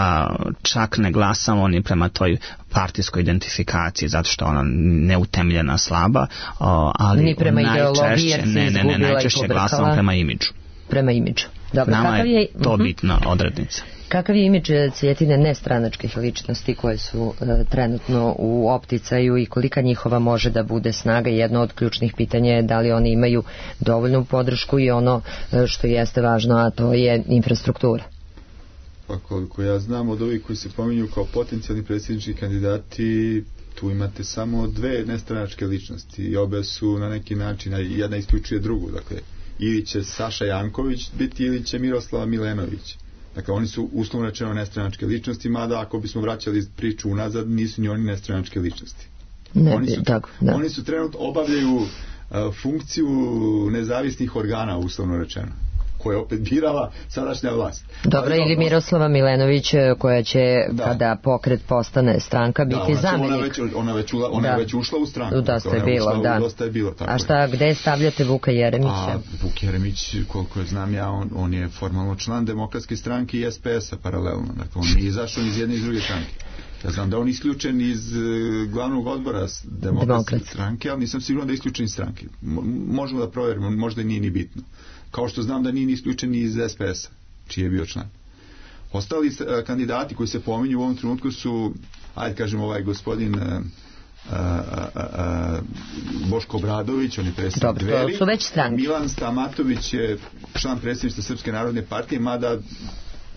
čak ne glasamo ni prema toj partijskoj identifikaciji, zato što ona neutemeljena, slaba, uh, ali ni prema ideologiji, jer se ne, ne, ne, najčešće glasamo prema imidžu. Prema imidžu. Dobro, nama kakav je je to uh-huh. bitna odrednica. Kakav je imidž Cvjetine nestranačkih ličnosti koje su e, trenutno u opticaju i kolika njihova može da bude snaga? Jedno od ključnih pitanja je da li oni imaju dovoljnu podršku i ono e, što jeste važno, a to je infrastruktura. Pa koliko ja znam, od ovih koji se pominju kao potencijalni predsjednički kandidati, tu imate samo dve nestranačke ličnosti i obe su na neki način, jedna isključuje drugu, dakle ili će Saša Janković biti ili će Miroslava Milenović. Dakle, oni su uslovno rečeno nestranačke ličnosti, mada ako bismo vraćali priču unazad, nisu ni oni nestranačke ličnosti. Ne, oni, su, tako, da. oni su trenutno obavljaju uh, funkciju nezavisnih organa, uslovno rečeno, koje opet birala sadašnja vlast. Dobro, ali, ili Miroslava Milenović koja će, da. kada pokret postane stranka, biti da, zamjenik. Ona, već, ona, već, ula, ona da. već ušla u stranku. Dosta je bilo, da. Dosta je bilo, tako a šta, gde stavljate Vuka Jeremića? A Vuk Jeremić, koliko je znam ja, on, on je formalno član Demokratske stranke i S P S-a paralelno. Dakle, on je izašao iz jedne i druge stranke. Ja znam da on isključen iz uh, glavnog odbora Demokratske stranke, ali nisam siguran da je isključen iz stranke. Mo, možemo da provjerimo, možda nije ni bitno. Kao što znam da nije isključen iz S P S-a, čiji je bio član. Ostali uh, kandidati koji se pominju u ovom trenutku su, ajde kažem, ovaj gospodin uh, uh, uh, uh, Boško Obradović, on je predsjednik Dveri. To su već stranke. Milan Stamatović je član predsjedništva Srpske narodne partije, mada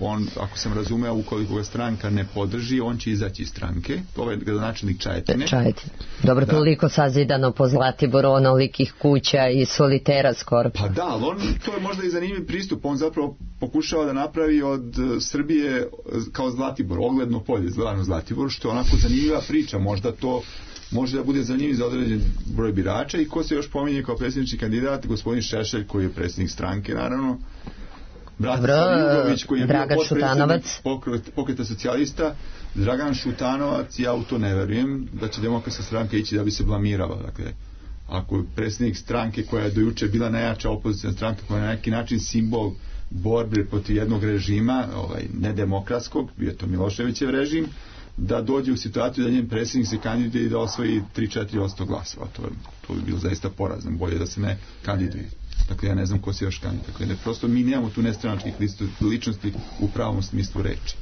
on, ako sam razumeo, ukoliko ga stranka ne podrži, on će izaći iz stranke. To je gradonačelnik Čajetine. Čajetine. Dobro, da. Toliko sazidano po Zlatiboru, onolikih kuća i solitera skoro. Pa da, ali on, to je možda i zanimljiv pristup. On zapravo pokušava da napravi od Srbije kao Zlatibor, ogledno polje, zvano Zlatibor, što je onako zanimljiva priča. Možda to može da bude zanimljiv za određen broj birača. I ko se još pominje kao predsjednički kandidat? Gospodin Šešelj, koji je predsjednik stranke, naravno. Bratislav Jugović, koji je Dragan bio potpredsjednik Šutanovac. pokreta socijalista. Dragan Šutanovac, ja u to ne verujem da će Demokratska stranka ići da bi se blamirala. Dakle, ako je predsjednik stranke koja je dojuče bila najjača opozicijna stranka, koja je na neki način simbol borbe protiv jednog režima, ovaj, nedemokratskog, bio to Miloševićev režim, da dođe u situaciju da njen predsjednik se kandiduje i da osvoji tri do četiri posto glasova. To, to bi bilo zaista porazno. Bolje da se ne kandiduje. Dakle, ja ne znam ko se još kandiduje. Dakle, ne, prosto mi nemamo tu nestranačkih ličnosti u pravom smislu reči.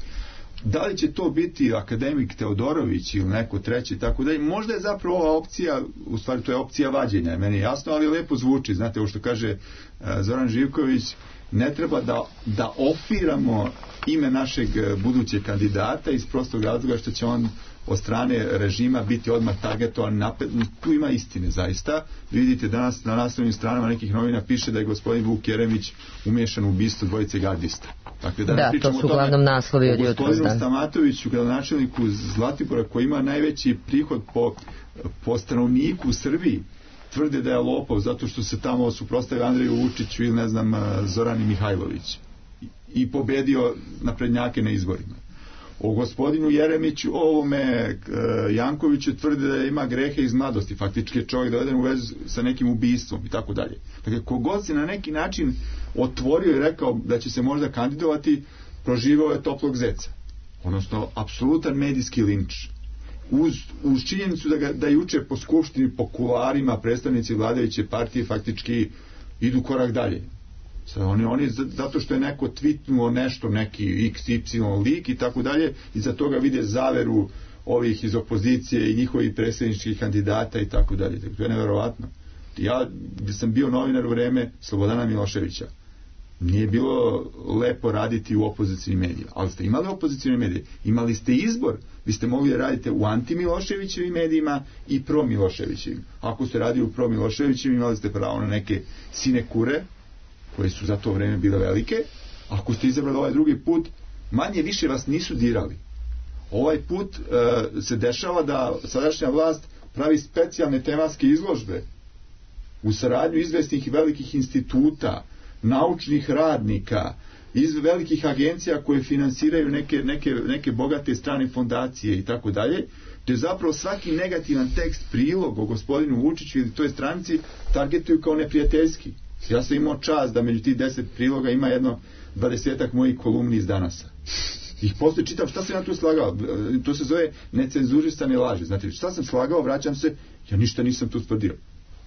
Da li će to biti akademik Teodorović ili neko treći, tako da možda je zapravo ova opcija, u stvari to je opcija vađenja, meni je jasno, ali lepo zvuči. Znate, ovo što kaže uh, Zoran Živković, ne treba da, da ofiramo ime našeg budućeg kandidata iz prostog razloga što će on od strane režima biti odmah targetovan napred. Tu ima istine zaista. Vidite danas na naslovnim stranama nekih novina piše da je gospodin Vuk Jeremić umiješan u ubistvo dvojice gardista. Dakle, da, da to su uglavnom naslovi od jutros. Gospodinu Stamatoviću, gradonačelniku Zlatibora, koji ima najveći prihod po, po stanovniku u Srbiji, tvrde da je lopov zato što se tamo suprotstavio Andreju Vučiću ili ne znam Zorani Mihajlović i pobedio naprednjake na izborima. O gospodinu Jeremiću, o ovome Jankoviću tvrde da ima grehe iz mladosti, faktički je čovjek doveden u vezu sa nekim ubistvom i tako dalje. Dakle, kogod se na neki način otvorio i rekao da će se možda kandidovati, proživao je toplog zeca. Odnosno, apsolutan medijski linč. Uz, uz činjenicu da, ga, da juče po skupštini, po kularima, predstavnici vladajuće partije faktički idu korak dalje. Sad, oni, oni zato što je neko tvitnuo nešto, neki iks ipsilon lik i tako dalje, i za toga vide zaveru ovih iz opozicije i njihovih predsjedničkih kandidata i tako dalje. To je neverovatno. Ja sam bio novinar u vreme Slobodana Miloševića. Nije bilo lepo raditi u opozicijnim medijima, ali ste imali opozicijne medije, imali ste izbor, vi ste mogli da radite u anti-Miloševićevim medijima i pro-Miloševićevim. Ako ste radili u pro-Miloševićevim, imali ste pravo na neke sinekure, koje su za to vreme bile velike. Ako ste izabrali ovaj drugi put, manje više vas nisu dirali. Ovaj put uh, se dešava da sadašnja vlast pravi specijalne tematske izložbe u saradnju izvesnih i velikih instituta, naučnih radnika, iz velikih agencija koje finansiraju neke, neke, neke bogate strane fondacije i tako dalje, gdje zapravo svaki negativan tekst, prilog o gospodinu Vučiću ili toj stranci targetuju kao neprijateljski. Ja sam imao čast da među tih deset priloga ima jedno dvadesetak mojih kolumni iz Danasa. Ih posle čitam šta sam ja tu slagao. To se zove necenzurisane laži. Znate, šta sam slagao, vraćam se, ja ništa nisam tu tvrdio.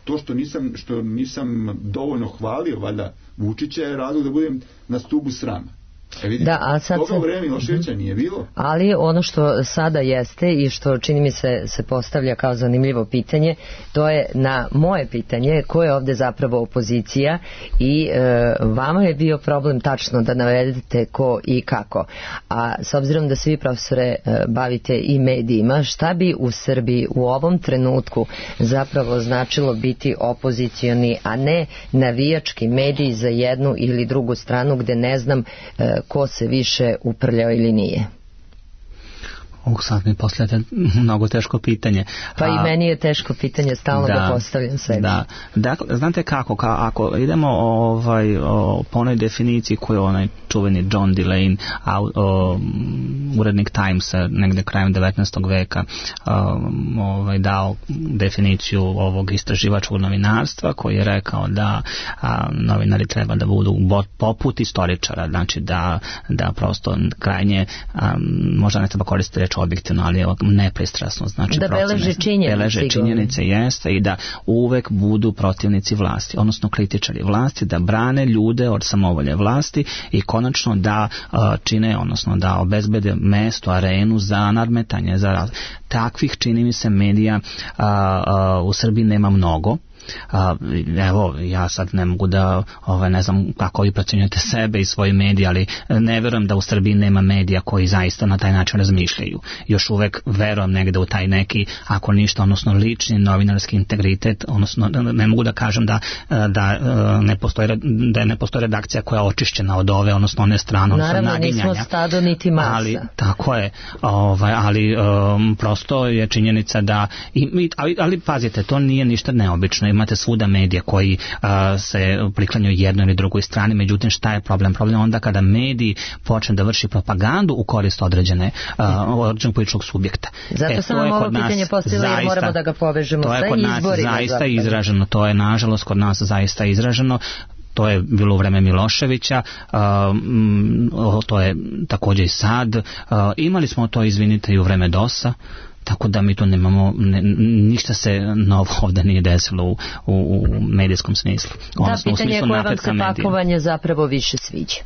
To što nisam, što nisam dovoljno hvalio valjda Vučića je razlog da budem na stubu srama. E vidite, da, a sad toga u vreme Miloševića nije bilo. Ali ono što sada jeste i što čini mi se se postavlja kao zanimljivo pitanje, to je na moje pitanje ko je ovde zapravo opozicija i e, vama je bio problem tačno da navedete ko i kako. A s obzirom da se vi, profesore, e, bavite i medijima, šta bi u Srbiji u ovom trenutku zapravo značilo biti opozicioni, a ne navijački mediji za jednu ili drugu stranu gde ne znam e, ko se više uprljao ili nije? Ovog sad mi postavljate mnogo teško pitanje. Pa a, i meni je teško pitanje, stalno da, ga postavljam sebi. Da, dakle, znate kako, ka, ako idemo ovaj, o, po onoj definiciji koju je onaj čuveni John Delane, a, o, urednik Timesa, negde krajem devetnaestog veka, o, ovaj, dao definiciju ovog istraživačkog novinarstva, koji je rekao da a, novinari treba da budu poput istoričara, znači da, da prosto krajnje, a, možda ne treba koristiti reč objektivno, ali nepristrasno, znači da beleže činjenice, beleže činjenice jeste i da uvek budu protivnici vlasti, odnosno kritičari vlasti, da brane ljude od samovolje vlasti i konačno da uh, čine, odnosno da obezbede mesto, arenu za nadmetanje, za raz... takvih, čini mi se, medija uh, uh, u Srbiji nema mnogo. A, evo, ja sad ne mogu da ovaj, ne znam kako vi procenjujete sebe i svoje medije, ali ne verujem da u Srbiji nema medija koji zaista na taj način razmišljaju. Još uvek verujem negde u taj neki, ako ništa, odnosno lični novinarski integritet, odnosno ne mogu da kažem da, da, ne, postoji, da ne postoji redakcija koja je očišćena od ove, odnosno one strane, odnosno naravno, naginjanja. nismo stado niti masa. Ali, tako je, ovaj, ali um, prosto je činjenica da, i, ali, ali pazite, to nije ništa neobično. Imate svuda medije koji uh, se priklanjaju jednoj ili drugoj strani, međutim šta je problem? Problem je onda kada mediji počne da vrši propagandu u korist određene uh, određenog političkog subjekta. Zato e, sam vam ovo pitanje postavila jer moramo da ga povežemo sa izborima. To je kod nas zaista zapravo izraženo, to je nažalost kod nas zaista izraženo. To je bilo u vreme Miloševića, uh, to je također i sad. Uh, imali smo to, izvinite, i u vreme dosa. Tako da mi tu nemamo, ne, ništa se novo ovdje nije desilo u, u, u medijskom smislu. Da, odnosno, pitanje je koje vam se medija. Pakovanje zapravo više sviđa.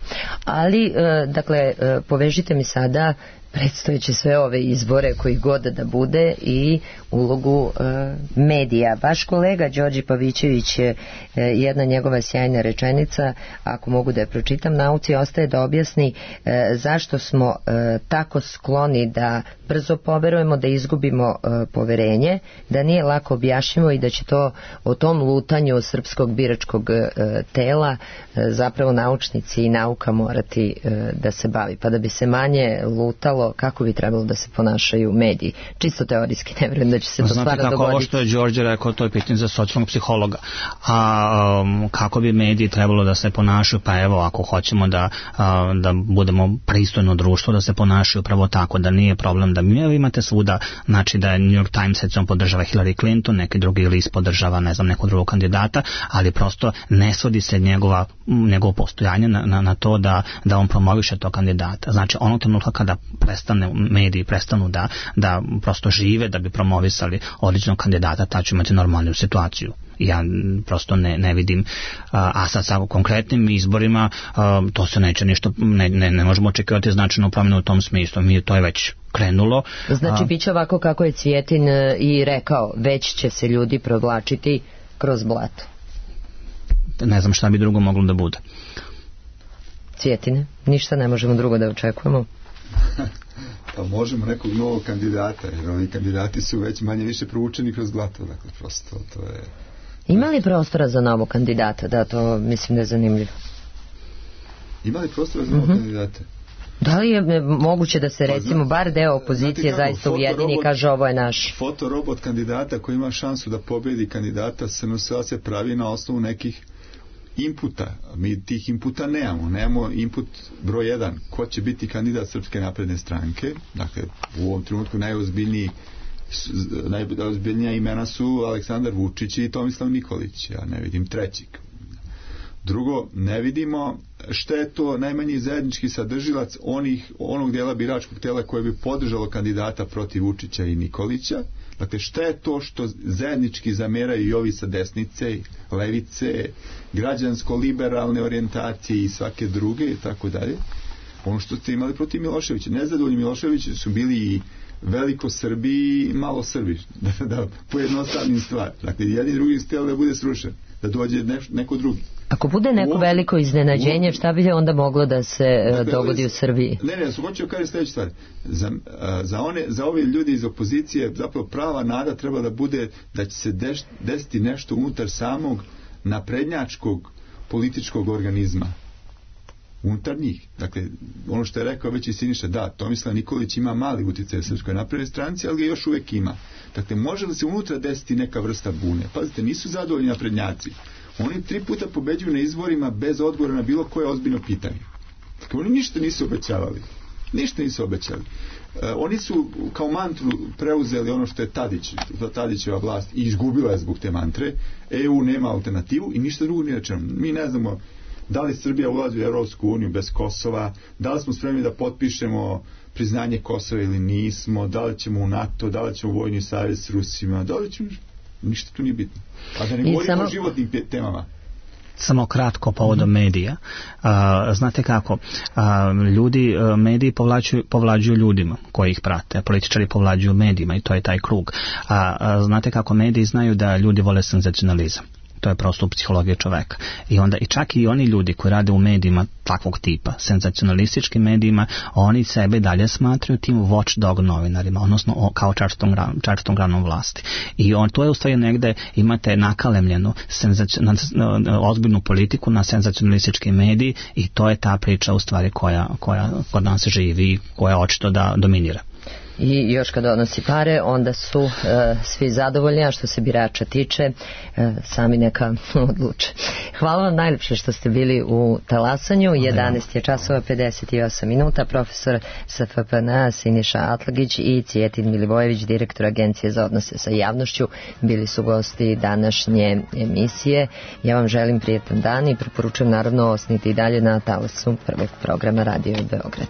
Ali, e, dakle, e, povežite mi sada predstojeće sve ove izbore koji god da bude i ulogu e, medija. Vaš kolega Đorđe Pavićević je e, jedna njegova sjajna rečenica, ako mogu da je pročitam, nauci ostaje da objasni e, zašto smo e, tako skloni da brzo poverujemo, da izgubimo e, poverenje, da nije lako objašnjivo i da će to o tom lutanju srpskog biračkog e, tela e, zapravo naučnici i nauka morati e, da se bavi. Pa da bi se manje lutalo trebalo, kako bi trebalo da se ponašaju mediji? Čisto teorijski, ne vjerujem da će se to stvarno dogoditi. Znate kako ovo što je Đorđe rekao, to je pitanje za socijalnog psihologa. A um, kako bi mediji trebalo da se ponašaju? Pa evo, ako hoćemo da, a, da budemo pristojno društvo, da se ponašaju upravo tako, da nije problem da mi imate svuda, znači da je New York Times recimo podržava Hillary Clinton, neki drugi list podržava, ne znam, nekog drugog kandidata, ali prosto ne svodi se njegova, njegovo postojanje na, na, na to da, da on promoviše tog kandidata. Znači, onog trenutka kada prestane mediji, prestanu da, da prosto žive, da bi promovisali određenog kandidata, ta će imati normalnu situaciju. Ja prosto ne, ne vidim, a sad sa konkretnim izborima to se neće ništa, ne, ne, ne možemo očekivati značajnu promjenu u tom smislu. Mi to je već krenulo. Znači, bit će ovako kako je Cvijetin i rekao, već će se ljudi provlačiti kroz blato. Ne znam šta bi drugo moglo da bude. Cvjetine, ništa ne možemo drugo da očekujemo. Pa možemo nekog novog kandidata, jer ovi kandidati su već manje više provučeni kroz blato, dakle prosto to je... Ima li prostora za novog kandidata? Da, to mislim da je zanimljivo. Ima li prostora za novog mm-hmm. kandidata? Da li je moguće da se recimo bar deo opozicije kako, zaista ujedini i kaže ovo je naš? Fotorobot kandidata koji ima šansu da pobedi kandidata se se pravi na osnovu nekih inputa. Mi tih inputa nemamo. Nemamo input broj jedan. Ko će biti kandidat Srpske napredne stranke? Dakle, u ovom trenutku najozbiljniji najozbiljnija imena su Aleksandar Vučić i Tomislav Nikolić. Ja ne vidim trećeg. Drugo, ne vidimo šta je to najmanji zajednički sadržilac onih, onog dijela biračkog tela koje bi podržalo kandidata protiv Vučića i Nikolića. Dakle, šta je to što zajednički zameraju i ovi sa desnice, levice, građansko-liberalne orijentacije i svake druge i tako dalje. Ono što ste imali protiv Miloševića. Nezadovoljni Miloševići su bili i veliko Srbi i malo Srbi. Da, da pojednostavnim stvar. Dakle, jedni drugi htjeli da bude srušen. Da dođe neš, neko drugi. Ako bude neko ovo, veliko iznenađenje, šta bi onda moglo da se dakle, dogodi u Srbiji? Ne, ne, su hoćeo kaže sljedeću stvar. Za, za, one, za ove ljudi iz opozicije zapravo prava nada treba da bude da će se deš, desiti nešto unutar samog naprednjačkog političkog organizma. Unutar njih. Dakle, ono što je rekao već i Siniša, da, Tomislav Nikolić ima mali utjecaj u Srpskoj naprednoj stranci, ali ga još uvijek ima. Dakle, može li se unutra desiti neka vrsta bune? Pazite, nisu zadovoljni naprednjaci. Oni tri puta pobeđuju na izborima bez odgovora na bilo koje ozbiljno pitanje. Dakle, oni ništa nisu obećavali. Ništa nisu obećali. E, oni su kao mantru preuzeli ono što je Tadić, to Tadićeva vlast, i izgubila je zbog te mantre. E U nema alternativu i ništa drugo nije rečeno. Mi ne znamo da li Srbija ulazi u Evropsku uniju bez Kosova, da li smo spremni da potpišemo priznanje Kosova ili nismo, da li ćemo u NATO, da li ćemo u vojni savez s Rusima, da li ćemo... Ništa tu nije bitno. A da ne govorimo samo o životnim temama. Samo kratko povodom medija. A, znate kako, a, ljudi, mediji povlađuju, povlađuju ljudima koji ih prate, političari povlađuju medijima i to je taj krug. A, a, znate kako, mediji znaju da ljudi vole senzacionalizam. To je prosto u psihologiji čoveka. I onda i čak i oni ljudi koji rade u medijima takvog tipa, senzacionalističkim medijima, oni sebe dalje smatraju tim watchdog novinarima, odnosno kao čačtom, čačtom granom vlasti. I on, to je u stvari negde imate nakalemljenu senzacion, ozbiljnu politiku na senzacionalistički mediji i to je ta priča u stvari koja, koja kod nas živi, koja očito da dominira. I još kad donosi pare, onda su uh, svi zadovoljni, a što se birača tiče, uh, sami neka odluče. Hvala vam najljepše što ste bili u Talasanju. jedanaest je časova pedeset osam minuta. Profesor S F P N A Siniša Atlagić i Cvijetin Milivojević, direktor Agencije za odnose sa javnošću, bili su gosti današnje emisije. Ja vam želim prijetan dan i preporučujem naravno osniti i dalje na talasu prvog programa Radio Beograd.